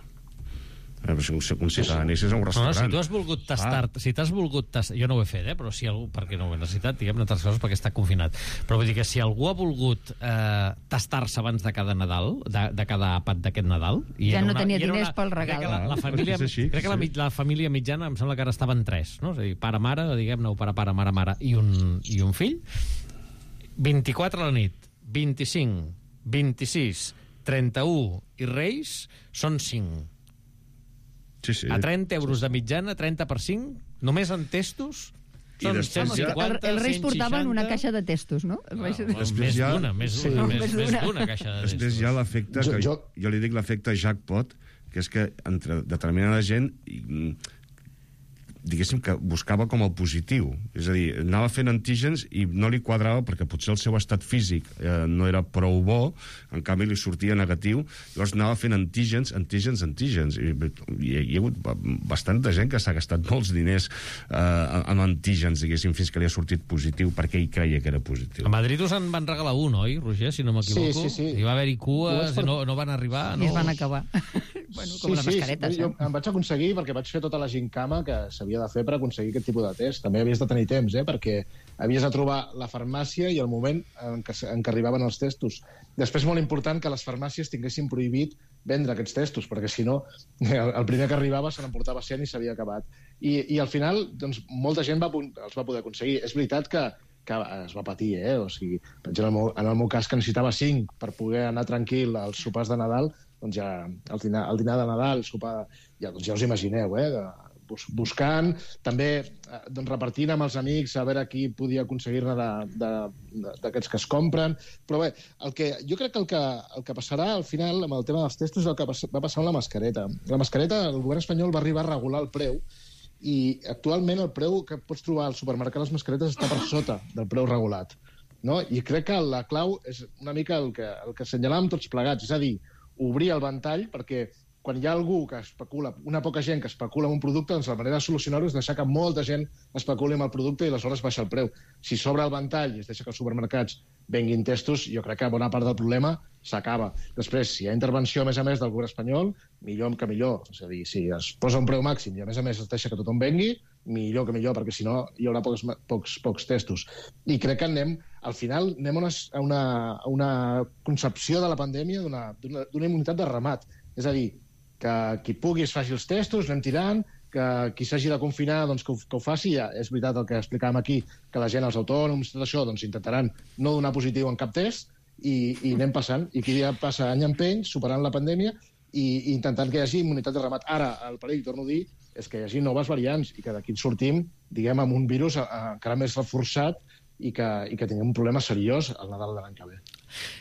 Eh, si un ciutadà anessis a un restaurant... No, si tu has volgut tastar... Ah. Si t'has volgut tastar... Jo no ho he fet, eh? Però si algú... Perquè no ho he necessitat, diguem, entre altres coses, perquè està confinat. Però vull dir que si algú ha volgut eh, tastar-se abans de cada Nadal, de, de cada àpat d'aquest Nadal... I ja no una, tenia diners una, pel regal. Crec que la, la família, és així, crec que la, sí. la família mitjana em sembla que ara estaven tres, no? És a dir, pare-mare, diguem-ne, o pare-pare, mare-mare, i un, i un fill. vint-i-quatre a la nit, vint-i-cinc, vint-i-sis, trenta-u i Reis són cinc. Sí, sí. A trenta euros de mitjana, trenta per cinc, només en testos, Són després cent ja- cinquanta, Els Reis cent portaven una seixanta. caixa de testos, no? Els Reis... No, Després més ja- d'una, més Sí. d'una, No, més, més més d'una. d'una caixa de Després testos. hi ha l'efecte, Jo- que jo- jo li dic l'efecte jackpot, que és que entre determinada gent i, diguéssim que buscava com el positiu, és a dir, anava fent antígens i no li quadrava perquè potser el seu estat físic eh, no era prou bo, en canvi li sortia negatiu, llavors anava fent antígens, antígens, antígens, i, i hi ha hagut bastanta gent que s'ha gastat molts diners eh, en antígens, diguéssim, fins que li ha sortit positiu perquè ell creia que era positiu. A Madrid us en van regalar un, oi, Roger, si no m'equivoco? Sí, sí, sí. Hi va haver-hi cues, Per... no, no van arribar? I No... es van acabar. Bueno, com sí, les mascaretes, sí, jo eh? em vaig aconseguir perquè vaig fer tota la gincama que s'havia de fer per aconseguir aquest tipus de test. També havies de tenir temps, eh? Perquè havies de trobar la farmàcia i el moment en què, en què arribaven els testos. Després, molt important, que les farmàcies tinguessin prohibit vendre aquests testos, perquè si no, el, el primer que arribava se n'emportava cent i s'havia acabat. I, I al final, doncs, molta gent va, els va poder aconseguir. És veritat que que es va patir, eh? O sigui, per exemple, en el meu, en el meu cas, que necessitava cinc per poder anar tranquil als sopars de Nadal, doncs ja el dinar, el dinar de Nadal, el sopar, ja, doncs ja us imagineu, eh? De, bus, buscant, també eh, doncs repartint amb els amics a veure qui podia aconseguir-ne d'aquests que es compren. Però bé, el que, jo crec que el, que el que passarà al final amb el tema dels testos és el que va passar amb la mascareta. La mascareta, el govern espanyol va arribar a regular el preu i actualment el preu que pots trobar al supermercat de les mascaretes està per sota del preu regulat. No? I crec que la clau és una mica el que, el que assenyalàvem tots plegats, és a dir, obrir el ventall perquè quan hi ha algú que especula, una poca gent que especula amb un producte, doncs la manera de solucionar-ho és deixar que molta gent especuli amb el producte i aleshores baixa el preu. Si s'obre el ventall i es deixa que els supermercats venguin testos, jo crec que bona part del problema s'acaba. Després, si hi ha intervenció, a més a més, del govern espanyol, millor que millor. És a dir, si es posa un preu màxim i, a més a més, es deixa que tothom vengui, millor que millor, perquè si no hi haurà pocs, pocs, pocs testos. I crec que anem, al final, anem a una, a una, a una concepció de la pandèmia d'una immunitat de ramat. És a dir, que qui pugui es faci els testos, anem tirant, que qui s'hagi de confinar doncs, que, ho, que ho faci. Ja és veritat el que explicàvem aquí, que la gent, els autònoms, tot això, doncs, intentaran no donar positiu en cap test i, i anem passant. I aquí ja passa any en peny, superant la pandèmia i, i intentant que hi hagi immunitat de ramat. Ara, el perill, torno a dir, és que hi hagi noves variants i que d'aquí en sortim, diguem, amb un virus encara més reforçat i que, i que tinguem un problema seriós al Nadal de l'any que ve.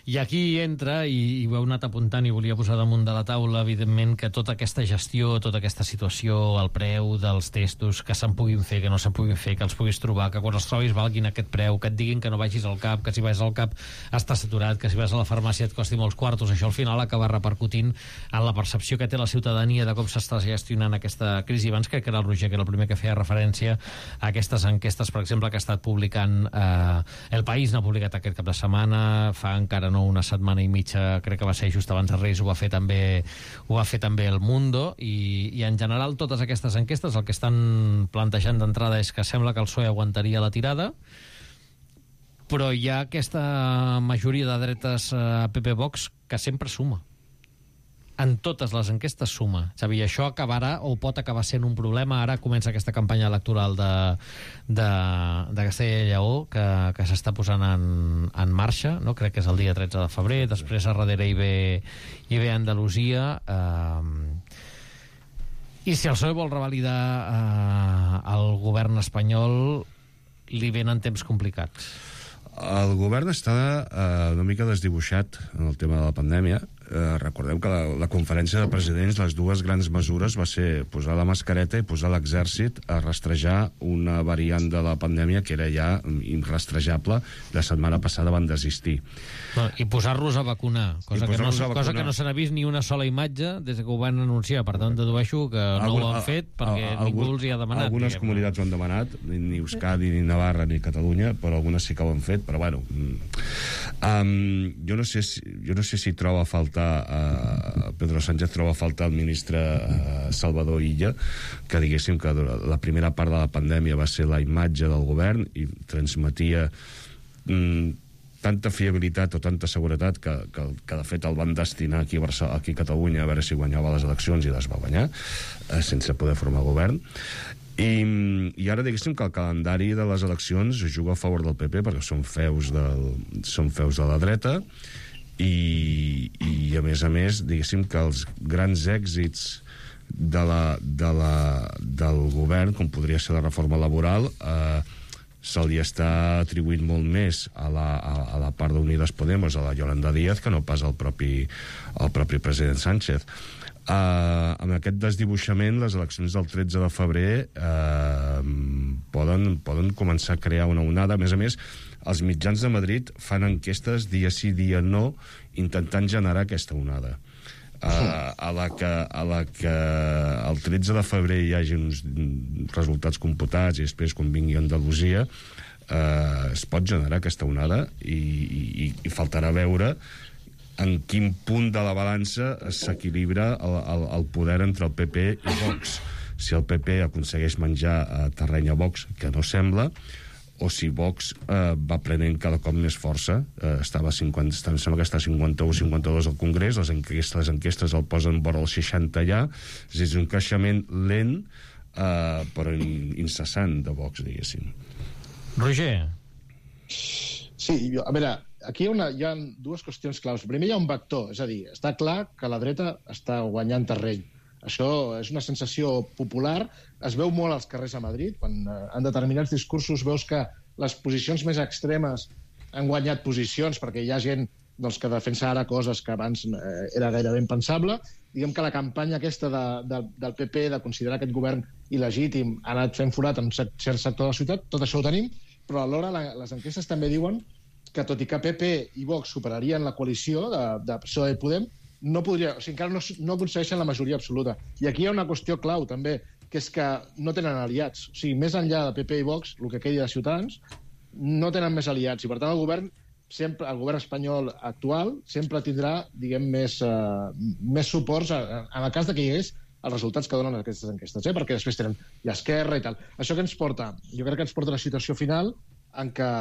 I aquí entra, i, i ho heu anat apuntant i volia posar damunt de la taula, evidentment, que tota aquesta gestió, tota aquesta situació, el preu dels testos, que se'n puguin fer, que no se'n puguin fer, que els puguis trobar, que quan els trobis valguin aquest preu, que et diguin que no vagis al cap, que si vas al cap està saturat, que si vas a la farmàcia et costi molts quartos, això al final acaba repercutint en la percepció que té la ciutadania de com s'està gestionant aquesta crisi. Abans crec que era el Roger, que era el primer que feia referència a aquestes enquestes, per exemple, que ha estat publicant eh, El País, n'ha publicat aquest cap de setmana, fa encara no una setmana i mitja, crec que va ser just abans de Reis, ho va fer també ho va fer també El Mundo, i, i en general totes aquestes enquestes el que estan plantejant d'entrada és que sembla que el P S O E aguantaria la tirada, però hi ha aquesta majoria de dretes a P P Vox que sempre suma. En totes les enquestes suma. Xavi, això acabarà o pot acabar sent un problema. Ara comença aquesta campanya electoral de, de, de Castella i Lleó que, que s'està posant en, en marxa, no? Crec que és el dia tretze de febrer, després a darrere hi ve, hi ve Andalusia. Eh, I si el P S O E vol revalidar eh, el govern espanyol, li venen temps complicats. El govern està eh, una mica desdibuixat en el tema de la pandèmia. Eh, recordem que la, la conferència de presidents, les dues grans mesures va ser posar la mascareta i posar l'exèrcit a rastrejar una variant de la pandèmia que era ja irrastrejable. La setmana passada van desistir. No, i posar-los a vacunar, cosa, que no, a vacunar. cosa que no se n'ha vist ni una sola imatge des que ho van anunciar. Per tant, dedueixo que no Algun, ho han fet perquè a, a, ningú els hi ha demanat. Algunes diguem. comunitats ho han demanat, ni Euskadi, ni Navarra, ni Catalunya, però algunes sí que ho han fet, però bueno... Um, jo, no sé si, jo no sé si troba a faltar uh, Pedro Sánchez troba a faltar el ministre uh, Salvador Illa, que diguéssim que la primera part de la pandèmia va ser la imatge del govern i transmetia um, tanta fiabilitat o tanta seguretat que, que, que de fet el van destinar aquí a, Barcelona, aquí a Catalunya a veure si guanyava les eleccions i les va guanyar uh, sense poder formar govern. I, i ara diguéssim que el calendari de les eleccions juga a favor del P P perquè són feus, del, són feus de la dreta i, i a més a més diguéssim que els grans èxits de la, de la, del govern, com podria ser la reforma laboral, eh, se li està atribuint molt més a la, a, a la part d'Unides Podemos, a la Yolanda Díaz, que no pas al propi, al propi president Sánchez. Uh, amb aquest desdibuixament, les eleccions del tretze de febrer uh, poden, poden començar a crear una onada. A més a més, els mitjans de Madrid fan enquestes dia sí, dia no, intentant generar aquesta onada. Uh, a, la que, a la que el tretze de febrer hi hagi uns resultats computats i després quan vingui Andalusia, uh, es pot generar aquesta onada i, i, i faltarà veure en quin punt de la balança s'equilibra el, el, el poder entre el P P i Vox. Si el P P aconsegueix menjar uh, terreny a Vox, que no sembla, o si Vox eh, va prenent cada cop més força. Eh, estava a cinquanta, em sembla que està a cinquanta-u o cinquanta-dos al Congrés, les enquestes, les enquestes el posen vora el seixanta ja, és un creixement lent, eh, però incessant de Vox, diguéssim. Roger. Sí, jo, a veure, aquí hi ha, una, hi ha dues qüestions claus. Primer hi ha un vector, és a dir, està clar que la dreta està guanyant terreny. Això és una sensació popular, es veu molt als carrers a Madrid, quan eh, en determinats discursos veus que les posicions més extremes han guanyat posicions, perquè hi ha gent doncs, que defensa ara coses que abans eh, era gairebé impensable. Diguem que la campanya aquesta de, de, del P P de considerar aquest govern il·legítim ha anat fent forat en un cert sector de la ciutat, tot això ho tenim, però alhora la, les enquestes també diuen que tot i que P P i Vox superarien la coalició de, de P S O E i Podem, no podria, o sigui, encara no, no aconsegueixen la majoria absoluta. I aquí hi ha una qüestió clau, també, que és que no tenen aliats. O sigui, més enllà de P P i Vox, el que quedi de Ciutadans, no tenen més aliats. I, per tant, el govern, sempre, el govern espanyol actual sempre tindrà, diguem, més, uh, més suports en, en el cas de que hi hagués els resultats que donen aquestes enquestes, eh? Perquè després tenen l'esquerra i tal. Això que ens porta? Jo crec que ens porta a la situació final en què,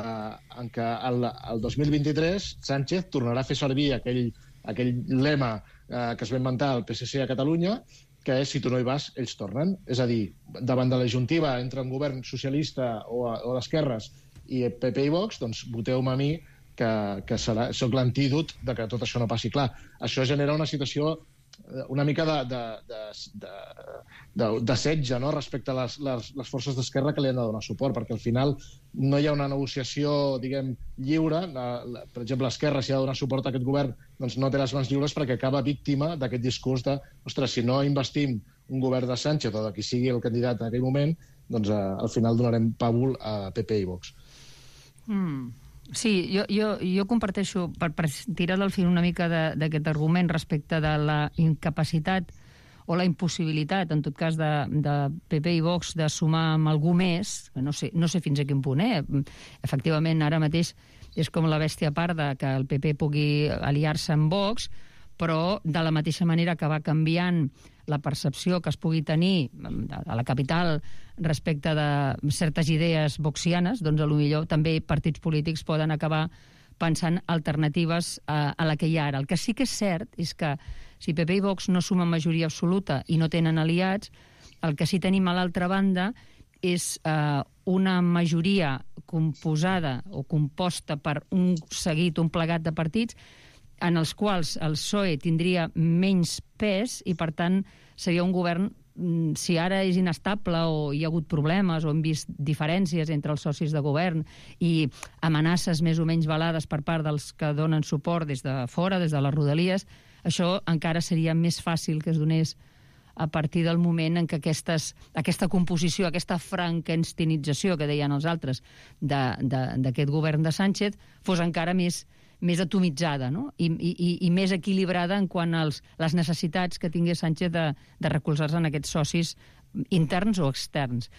en què el, el dos mil vint-i-tres Sánchez tornarà a fer servir aquell aquell lema eh, que es va inventar el P S C a Catalunya, que és si tu no hi vas, ells tornen. És a dir, davant de la juntiva entre un govern socialista o, a, o d'esquerres i P P i Vox, doncs voteu-me a mi que, que serà, soc l'antídot de que tot això no passi. Clar, això genera una situació una mica de, de, de, de, de, de setge, no?, respecte a les, les, les forces d'esquerra que li han de donar suport, perquè al final no hi ha una negociació, diguem, lliure. La, la, per exemple, l'esquerra, si ha de donar suport a aquest govern, doncs no té les mans lliures perquè acaba víctima d'aquest discurs de, ostres, si no investim un govern de Sánchez o de qui sigui el candidat en aquell moment, doncs eh, al final donarem pàbul a P P i Vox. Mm. Sí, jo, jo, jo comparteixo, per, per tirar del fil una mica d'aquest argument respecte de la incapacitat o la impossibilitat, en tot cas, de, de P P i Vox de sumar amb algú més, no sé, no sé fins a quin punt, eh? Efectivament, ara mateix és com la bèstia parda que el P P pugui aliar-se amb Vox, però de la mateixa manera que va canviant la percepció que es pugui tenir a la capital respecte de certes idees voxianes, doncs potser també partits polítics poden acabar pensant alternatives a, a la que hi ha ara. El que sí que és cert és que si P P i Vox no sumen majoria absoluta i no tenen aliats, el que sí tenim a l'altra banda és eh, una majoria composada o composta per un seguit, un plegat de partits en els quals el P S O E tindria menys pes i, per tant, seria un govern, si ara és inestable o hi ha hagut problemes o hem vist diferències entre els socis de govern i amenaces més o menys velades per part dels que donen suport des de fora, des de les Rodalies, això encara seria més fàcil que es donés a partir del moment en què aquestes, aquesta composició, aquesta frankensteinització que deien els altres d'aquest govern de Sánchez fos encara més més atomitzada, no? I, i, i més equilibrada en quant a les necessitats que tingués Sánchez de, de recolzar-se en aquests socis interns o externs.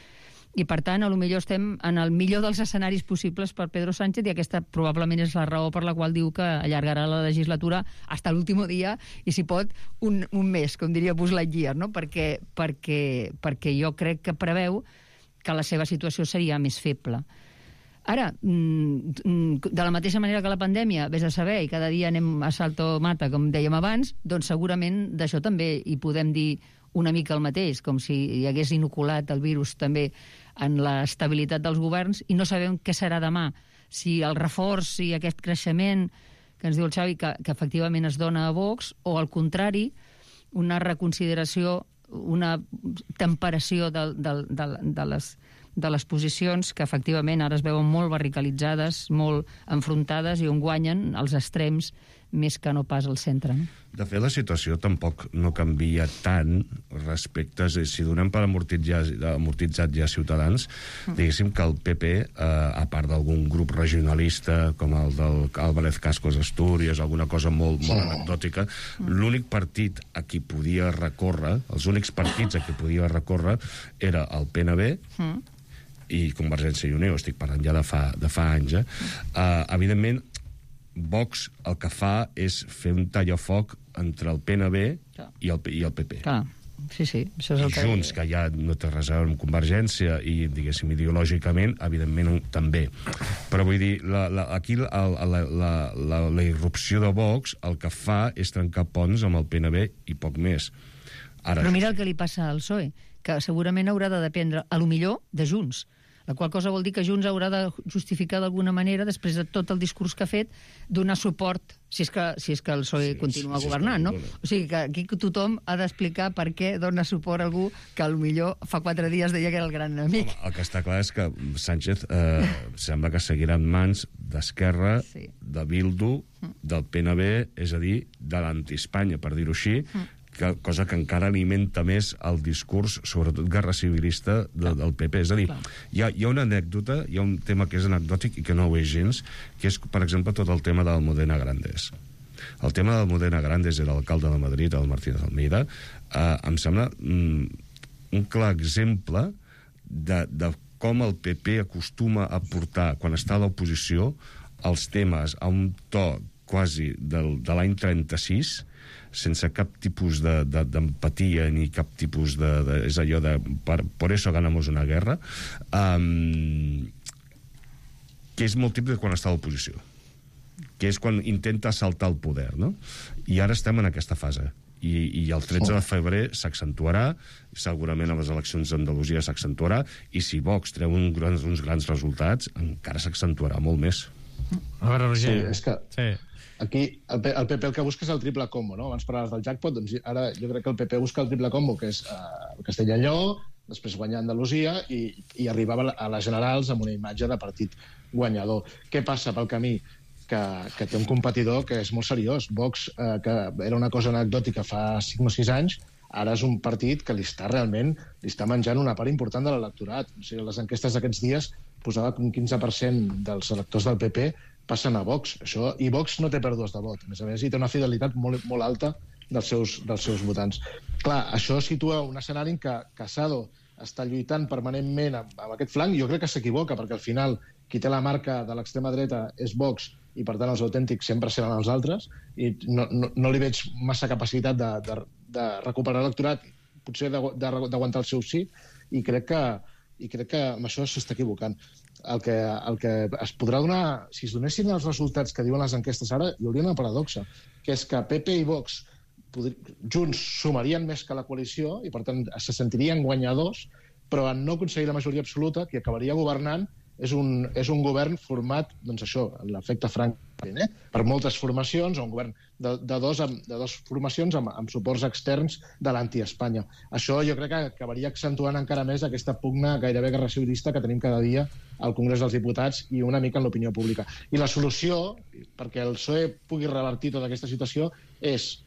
I, per tant, a lo millor estem en el millor dels escenaris possibles per Pedro Sánchez i aquesta probablement és la raó per la qual diu que allargarà la legislatura fins a l'últim dia i, si pot, un, un mes, com diria Buzz Lightyear, no? Perquè, perquè, perquè jo crec que preveu que la seva situació seria més feble. Ara, de la mateixa manera que la pandèmia, vés a saber, i cada dia anem a salto mata, com dèiem abans, doncs segurament d'això també hi podem dir una mica el mateix, com si hi hagués inoculat el virus també en l'estabilitat dels governs, i no sabem què serà demà. Si el reforç i aquest creixement que ens diu el Xavi que, que efectivament es dona a Vox, o al contrari, una reconsideració, una temperació de, de, de, de les de les posicions que efectivament ara es veuen molt barricalitzades, molt enfrontades i on guanyen els extrems més que no pas al centre. De fet, la situació tampoc no canvia tant respecte, si donem per amortitzat, amortitzat ja Ciutadans, mm. diguéssim que el P P, eh, a part d'algun grup regionalista, com el del Álvarez Cascos Astúries, alguna cosa molt, molt anecdòtica, mm. l'únic partit a qui podia recórrer, els únics partits a qui podia recórrer, era el P N B, mm. i Convergència i Unió, estic parlant ja de fa, de fa anys, eh? Uh, evidentment, Vox el que fa és fer un tallafoc entre el P N B i el, i el P P. Clar, sí, sí. Això és el I que... Junts, que ja no té res a veure amb Convergència i, diguéssim, ideològicament, evidentment també. Però vull dir, la, la, aquí la, la, la, la, la irrupció de Vox el que fa és trencar ponts amb el P N B i poc més. Ara, però mira el que li passa al P S O E, que segurament haurà de dependre, a lo millor, de Junts. La qual cosa vol dir que Junts haurà de justificar d'alguna manera, després de tot el discurs que ha fet, donar suport, si és que, si és que el P S O E sí, continua sí, governant, no? O sigui que aquí tothom ha d'explicar per què dona suport a algú que potser fa quatre dies deia que era el gran enemic. Home, el que està clar és que Sánchez eh, sembla que seguirà en mans d'Esquerra, sí. de Bildu, del P N B, és a dir, de l'anti-Espanya, per dir-ho així, mm. que, cosa que encara alimenta més el discurs, sobretot guerra civilista, de, del P P. És a dir, hi ha, hi ha una anècdota, hi ha un tema que és anecdòtic i que no ho és gens, que és, per exemple, tot el tema del Modena Grandes. El tema del Modena Grandes era l'alcalde de Madrid, el Martínez Almeida, eh, em sembla mm, un clar exemple de, de com el P P acostuma a portar, quan està a l'oposició, els temes a un to quasi del, de l'any trenta-sis, sense cap tipus d'empatia de, de, ni cap tipus de, de... És allò de... Per, por eso ganamos una guerra, um, que és molt típic quan està a l'oposició, que és quan intenta assaltar el poder, no? I ara estem en aquesta fase. I, i el tretze de febrer s'accentuarà, segurament a les eleccions d'Andalusia s'accentuarà, i si Vox treu un grans, uns grans resultats, encara s'accentuarà molt més. A veure, Roger... Sí, és que... Sí. Aquí el P P el que busca és el triple combo, no? Abans parlaves del jackpot, doncs ara jo crec que el P P busca el triple combo, que és uh, Castella i Lleó, després guanyar Andalusia i, i arribava a les generals amb una imatge de partit guanyador. Què passa pel camí? Que, que té un competidor que és molt seriós. Vox, eh, que era una cosa anecdòtica fa cinc o sis anys, ara és un partit que li està realment li està menjant una part important de l'electorat. O sigui, les enquestes d'aquests dies posava que un quinze per cent dels electors del P P passen a Vox. Això, i Vox no té pèrdues de vot. A més a més, hi té una fidelitat molt, molt alta dels seus, dels seus votants. Clar, això situa un escenari en què Casado està lluitant permanentment amb, amb aquest flanc. Jo crec que s'equivoca, perquè al final qui té la marca de l'extrema dreta és Vox i, per tant, els autèntics sempre seran els altres, i no, no, no li veig massa capacitat de, de, de recuperar l'electorat, potser d'aguantar el seu sí, i crec que, i crec que amb això s'està equivocant. El que, el que es podrà donar, si es donessin els resultats que diuen les enquestes ara, hi hauria una paradoxa, que és que P P i Vox podri, junts sumarien més que la coalició i, per tant, se sentirien guanyadors, però en no aconseguir la majoria absoluta, qui acabaria governant és un, és un govern format, doncs això, l'efecte Franklin, eh? per moltes formacions, o un govern de, de, dos, de dos formacions amb, amb suports externs de l'anti-Espanya. Això jo crec que acabaria accentuant encara més aquesta pugna gairebé guerra civilista que tenim cada dia al Congrés dels Diputats i una mica en l'opinió pública. I la solució, perquè el P S O E pugui revertir tota aquesta situació, és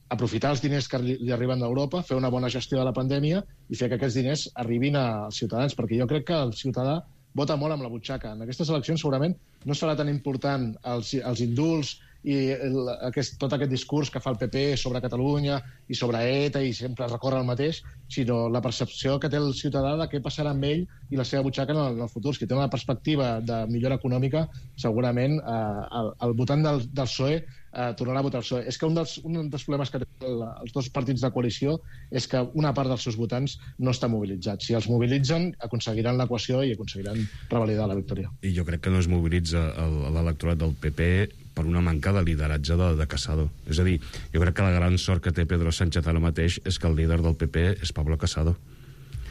aprofitar els diners que li, li arriben d'Europa, fer una bona gestió de la pandèmia i fer que aquests diners arribin als ciutadans, perquè jo crec que el ciutadà vota molt amb la butxaca. En aquestes eleccions segurament no serà tan important els, els indults i el, aquest, tot aquest discurs que fa el P P sobre Catalunya i sobre ETA i sempre recorre el mateix, sinó la percepció que té el ciutadà de què passarà amb ell i la seva butxaca en el, en el futur. Si té una perspectiva de millora econòmica, segurament eh, el, el votant del, del P S O E eh, tornarà a votar el P S O E. És que un dels, un dels problemes que tenen els dos partits de coalició és que una part dels seus votants no està mobilitzat. Si els mobilitzen, aconseguiran l'equació i aconseguiran revalidar la victòria. I jo crec que no es mobilitza l'electorat del P P per una manca de lideratge de, de Casado. És a dir, jo crec que la gran sort que té Pedro Sánchez ara mateix és que el líder del P P és Pablo Casado.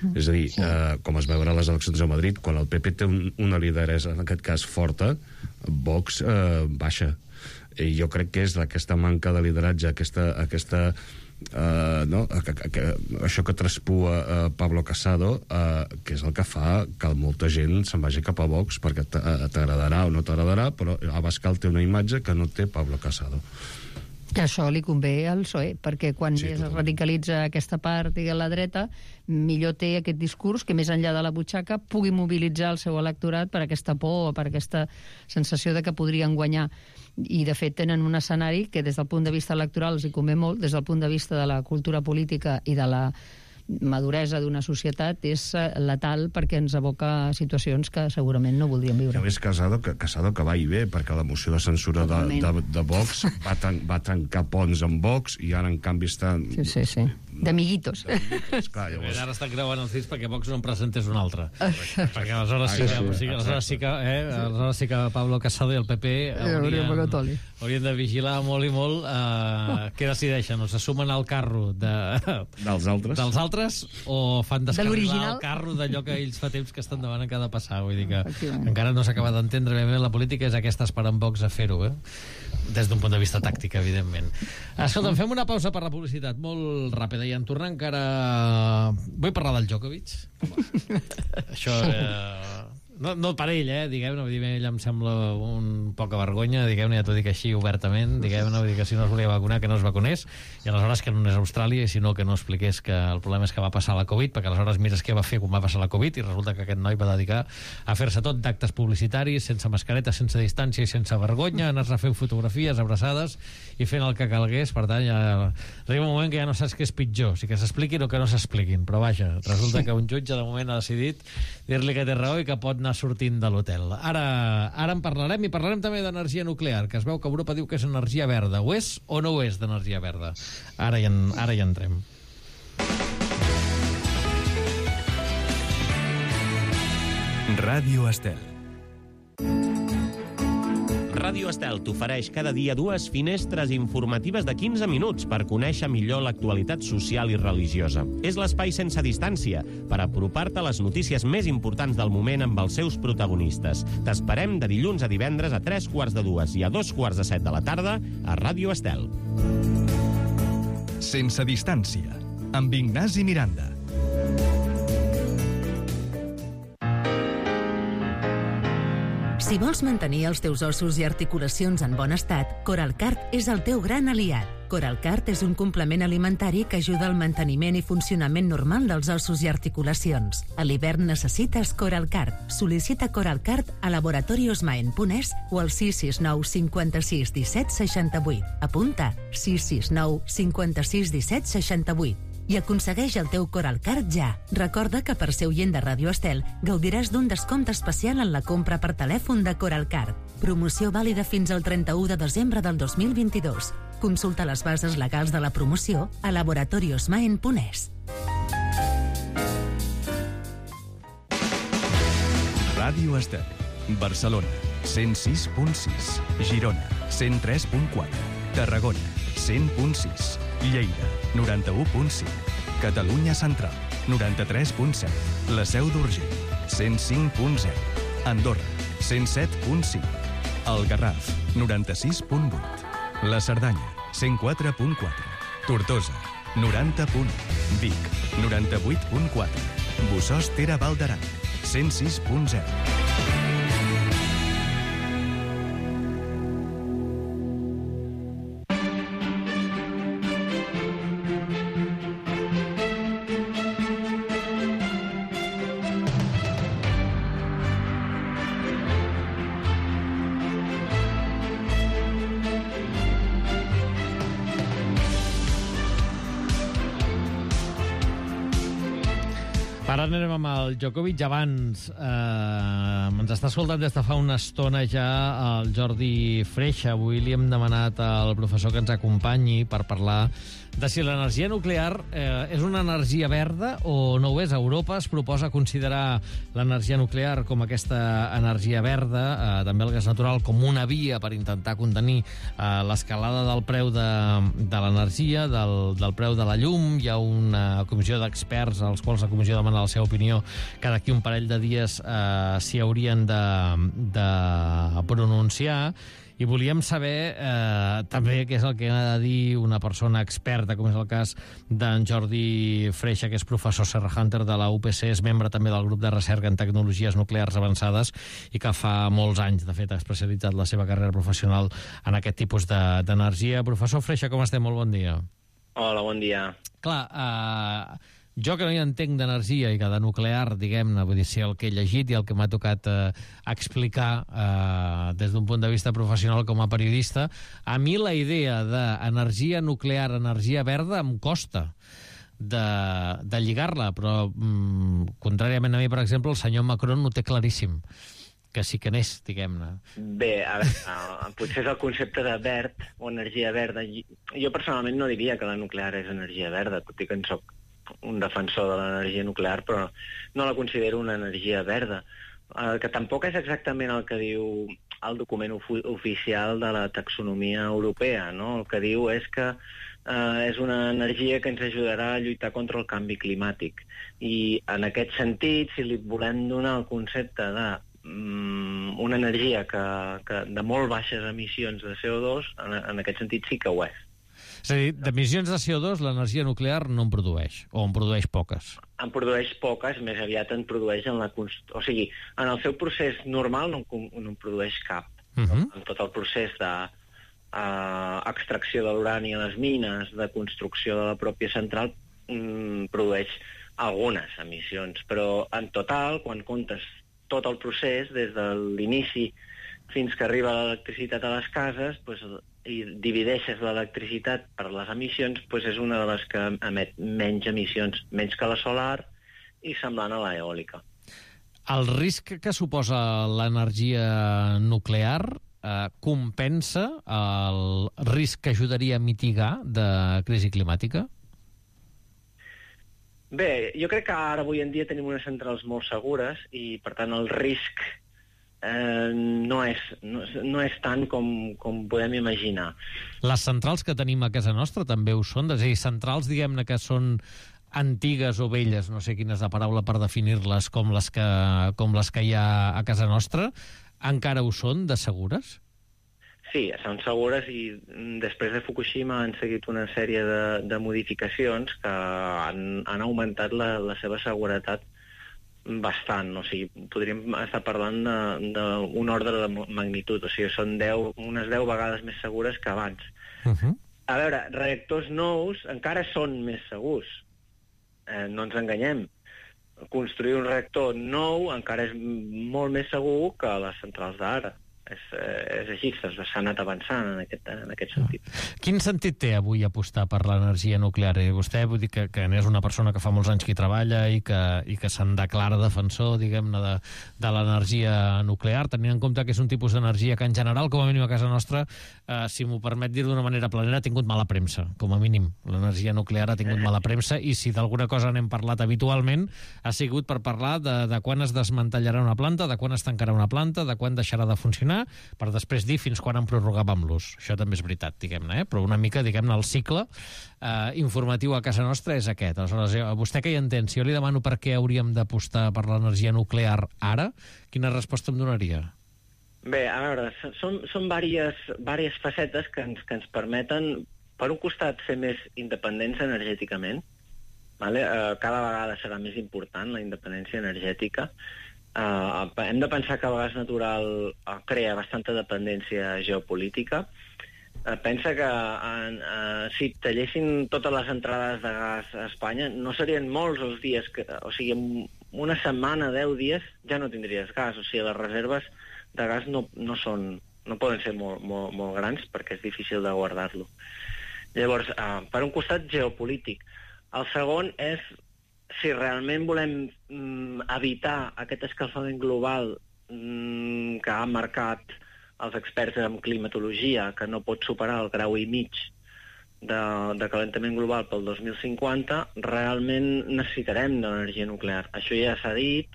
Mm. És a dir, sí. eh, com es veurà a les eleccions a Madrid, quan el P P té un, una lideresa, en aquest cas forta, Vox eh, baixa. I jo crec que és aquesta manca de lideratge, aquesta, aquesta Uh, no? que, que, que, això que traspua uh, Pablo Casado, uh, que és el que fa que molta gent se'n vagi cap a Vox, perquè t'agradarà o no t'agradarà, però Abascal té una imatge que no té Pablo Casado. Que això li convé al P S O E, perquè quan Sí, més es totalment. radicalitza aquesta part i la dreta, millor té aquest discurs que més enllà de la butxaca pugui mobilitzar el seu electorat per aquesta por o per aquesta sensació de que podrien guanyar. I, de fet, tenen un escenari que des del punt de vista electoral els hi convé molt, des del punt de vista de la cultura política i de la maduresa d'una societat, és letal perquè ens aboca a situacions que segurament no voldríem viure. A més, Casado, que, Casado que va i ve, perquè la moció de censura de, de, de Vox va, tan, va tancar ponts amb Vox i ara, en canvi, està... Sí, sí, sí. D'amiguitos. Clar, llavors... Ara estan creuant els dits perquè Vox no en presentés un altre. Perquè aleshores sí que, Ah, sí, sí, aleshores sí que, eh, aleshores sí que Pablo Casado i el P P haurien, haurien de vigilar molt i molt eh, què decideixen, o se sumen al carro de, dels altres, dels altres o fan descarrilar l'original? el carro d'allò que ells fa temps que estan demanant que ha de passar. Vull dir que encara no s'ha acabat d'entendre ben bé la política, és aquesta esperant Vox a fer-ho, eh? Des d'un punt de vista tàctic, evidentment. Escolta'm, fem una pausa per la publicitat molt ràpida i en tornar encara... Vull parlar del Djokovic. Això... Eh... No, no per ell, eh, diguem-ne, vull dir, ell em sembla un poca vergonya, diguem-ne, ja t'ho dic així obertament, diguem-ne, vull dir que si no es volia vacunar, que no es vacunés, i aleshores que no és Austràlia, i si no, que no expliqués que el problema és que va passar la Covid, perquè aleshores mires què va fer quan va passar la Covid, i resulta que aquest noi va dedicar a fer-se tot d'actes publicitaris, sense mascareta, sense distància i sense vergonya, anar-se a fer fotografies abraçades i fent el que calgués. Per tant, ja arriba un moment que ja no saps què és pitjor, si que s'expliquin o que no s'expliquin, però vaja, resulta que un jutge de moment ha decidit dir-li que té raó i que pot anar sortint de l'hotel. Ara, ara en parlarem, i parlarem també d'energia nuclear, que es veu que Europa diu que és energia verda. Ho és o no ho és d'energia verda? Ara hi, en, ara hi entrem. Ràdio Estel. Ràdio Estel t'ofereix cada dia dues finestres informatives de quinze minuts per conèixer millor l'actualitat social i religiosa. És l'espai sense distància per apropar-te a les notícies més importants del moment amb els seus protagonistes. T'esperem de dilluns a divendres a tres quarts de dues i a dos quarts de set de la tarda a Ràdio Estel. Sense distància, amb Ignasi Miranda. Si vols mantenir els teus ossos i articulacions en bon estat, Coralcart és el teu gran aliat. Coralcart és un complement alimentari que ajuda al manteniment i funcionament normal dels ossos i articulacions. A l'hivern necessites Coralcart. Sol·licita Coralcart a laboratoriosmaen punt es o al sis sis nou cinquanta-sis disset seixanta-vuit. Apunta sis sis nou cinquanta-sis disset seixanta-vuit. I aconsegueix el teu Coralcart ja. Recorda que per ser oient de Ràdio Estel gaudiràs d'un descompte especial en la compra per telèfon de Coralcart. Promoció vàlida fins al trenta-u de desembre del dos mil vint-i-dos. Consulta les bases legals de la promoció a laboratoriosmaen punt es. Ràdio Estel. Barcelona, cent sis punt sis. Girona, cent tres punt quatre. Tarragona, cent punt sis. Lleida, noranta-u punt cinc. Catalunya Central, noranta-tres punt set. La Seu d'Urgell, cent cinc punt zero. Andorra, cent set punt cinc. El Garraf, noranta-sis punt vuit. La Cerdanya, cent quatre punt quatre. Tortosa, noranta punt u. Vic, noranta-vuit punt quatre. Bussòs Tere Val d'Aran, cent sis punt zero. Ara anem amb el Djokovic. Abans eh, ens està escoltant des de fa una estona ja el Jordi Freixa. Avui li hem demanat al professor que ens acompanyi per parlar de si l'energia nuclear eh, és una energia verda o no ho és. A Europa es proposa considerar l'energia nuclear com aquesta energia verda, eh, també el gas natural, com una via per intentar contenir eh, l'escalada del preu de, de l'energia, del, del preu de la llum. Hi ha una comissió d'experts als quals la comissió demana demanar la seva opinió, que d'aquí un parell de dies eh, s'hi haurien de, de pronunciar. I volíem saber eh, també què és el que ha de dir una persona experta, com és el cas d'en Jordi Freixa, que és professor Serra Hunter de la U P C, és membre també del grup de recerca en tecnologies nuclears avançades i que fa molts anys, de fet, ha especialitzat la seva carrera professional en aquest tipus d'energia. Professor Freixa, com estem? Molt bon dia. Hola, bon dia. Clar, eh, jo que no hi entenc d'energia i que de nuclear, diguem-ne, vull dir, si el que he llegit i el que m'ha tocat eh, explicar eh, des d'un punt de vista professional com a periodista, a mi la idea d'energia nuclear, energia verda, em costa de, de lligar-la, però mm, contràriament a mi, per exemple, el senyor Macron ho té claríssim, que sí que n'és, diguem-ne. Bé, a veure, potser és el concepte de verd o energia verda. Jo personalment no diria que la nuclear és energia verda, tot i que en soc un defensor de l'energia nuclear, però no la considero una energia verda, eh, que tampoc és exactament el que diu el document ofi oficial de la taxonomia europea, no? El que diu és que eh, és una energia que ens ajudarà a lluitar contra el canvi climàtic. I en aquest sentit, si li volem donar el concepte de mm, una energia que, que de molt baixes emissions de C O dos, en, en aquest sentit sí que ho és. És a dir, d'emissions de C O dos l'energia nuclear no en produeix, o en produeix poques. En produeix poques, més aviat en produeix en la... O sigui, en el seu procés normal no, no en produeix cap. Uh-huh. En tot el procés de uh, extracció de l'urani a les mines, de construcció de la pròpia central, mm, produeix algunes emissions. Però en total, quan comptes tot el procés, des de l'inici fins que arriba l'electricitat a les cases, pues, i divideixes l'electricitat per les emissions, pues és una de les que emet menys emissions, menys que la solar i semblant a l'eòlica. El risc que suposa l'energia nuclear eh, compensa el risc que ajudaria a mitigar de crisi climàtica? Bé, jo crec que ara avui en dia tenim unes centrals molt segures i, per tant, el risc Eh, no, és, no, no és tant com, com podem imaginar. Les centrals que tenim a casa nostra també ho són? És a dir, centrals, diguem-ne, que són antigues o velles, no sé quina és la paraula per definir-les, com les que, com les que hi ha a casa nostra, encara ho són de segures? Sí, són segures i després de Fukushima han seguit una sèrie de, de modificacions que han, han augmentat la, la seva seguretat bastant, o sigui, podríem estar parlant d'un ordre de magnitud, o sigui, són deu, unes deu vegades més segures que abans. Uh-huh. A veure, reactors nous encara són més segurs, eh, no ens enganyem. Construir un reactor nou encara és molt més segur que les centrals d'ara. És, és així, s'ha anat avançant en aquest, en aquest sentit. Quin sentit té avui apostar per l'energia nuclear? I vostè, vull dir que, que és una persona que fa molts anys que hi treballa i que, i que se'n declara defensor, diguem-ne, de, de l'energia nuclear, tenint en compte que és un tipus d'energia que en general, com a mínim a casa nostra, eh, si m'ho permet dir d'una manera planera, ha tingut mala premsa, com a mínim. L'energia nuclear ha tingut mala premsa i si d'alguna cosa n'hem parlat habitualment ha sigut per parlar de, de quan es desmantellarà una planta, de quan es tancarà una planta, de quan deixarà de funcionar, per després dir fins quan en prorrogàvem l'ús. Això també és veritat, diguem-ne, eh? Però una mica, diguem-ne, el cicle eh, informatiu a casa nostra és aquest. Aleshores, vostè que hi entén, si jo li demano per què hauríem d'apostar per l'energia nuclear ara, quina resposta em donaria? Bé, a veure, són, són diverses, diverses facetes que ens, que ens permeten, per un costat, ser més independents energèticament. Vale? Eh, cada vegada serà més important la independència energètica. Uh, hem de pensar que el gas natural uh, crea bastanta dependència geopolítica. Uh, pensa que uh, uh, si tallessin totes les entrades de gas a Espanya no serien molts els dies que, o sigui, una setmana, deu dies ja no tindries gas, o sigui, les reserves de gas no, no són, no poden ser molt, molt, molt grans perquè és difícil de guardar-lo. Llavors, uh, per un costat geopolític. El segon és si realment volem mm, evitar aquest escalfament global mm, que ha marcat els experts en climatologia, que no pot superar el grau i mig de, de calentament global pel dos mil cinquanta, realment necessitarem de l'energia nuclear. Això ja s'ha dit,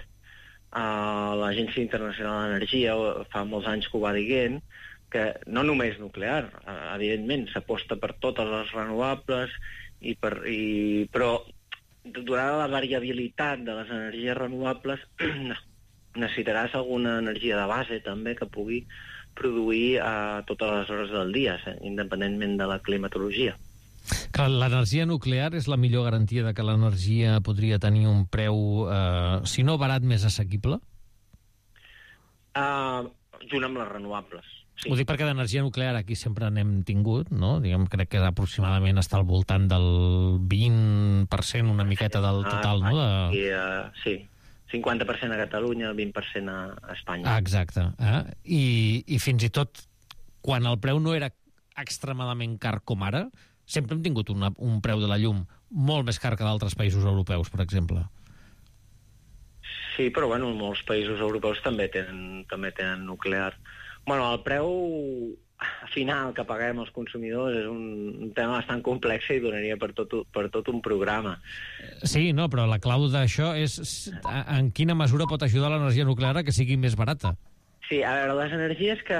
uh, l'Agència Internacional d'Energia fa molts anys que ho va dient, que no només nuclear, evidentment, s'aposta per totes les renovables, i per, i, però donada la variabilitat de les energies renovables, necessitaràs alguna energia de base també que pugui produir a totes les hores del dia, eh, independentment de la climatologia. Que l'energia nuclear és la millor garantia de que l'energia podria tenir un preu, eh, si no barat, més assequible? Uh, junt amb les renovables. Sí. Ho dic perquè d'energia nuclear aquí sempre n'hem tingut, no? Diguem, crec que aproximadament està al voltant del vint per cent, una miqueta del total, ah, no? De... I, uh, sí, cinquanta per cent a Catalunya, vint per cent a Espanya. Ah, exacte. Eh? I, I fins i tot quan el preu no era extremadament car com ara, sempre hem tingut una, un preu de la llum molt més car que d'altres països europeus, per exemple. Sí, però bueno, molts països europeus també tenen, també tenen nuclear. Bueno, el preu final que paguem els consumidors és un, un tema bastant complex i donaria per tot, per tot un programa. Sí, no, però la clau d'això és en quina mesura pot ajudar l'energia nuclear a que sigui més barata. Sí, a veure, les energies que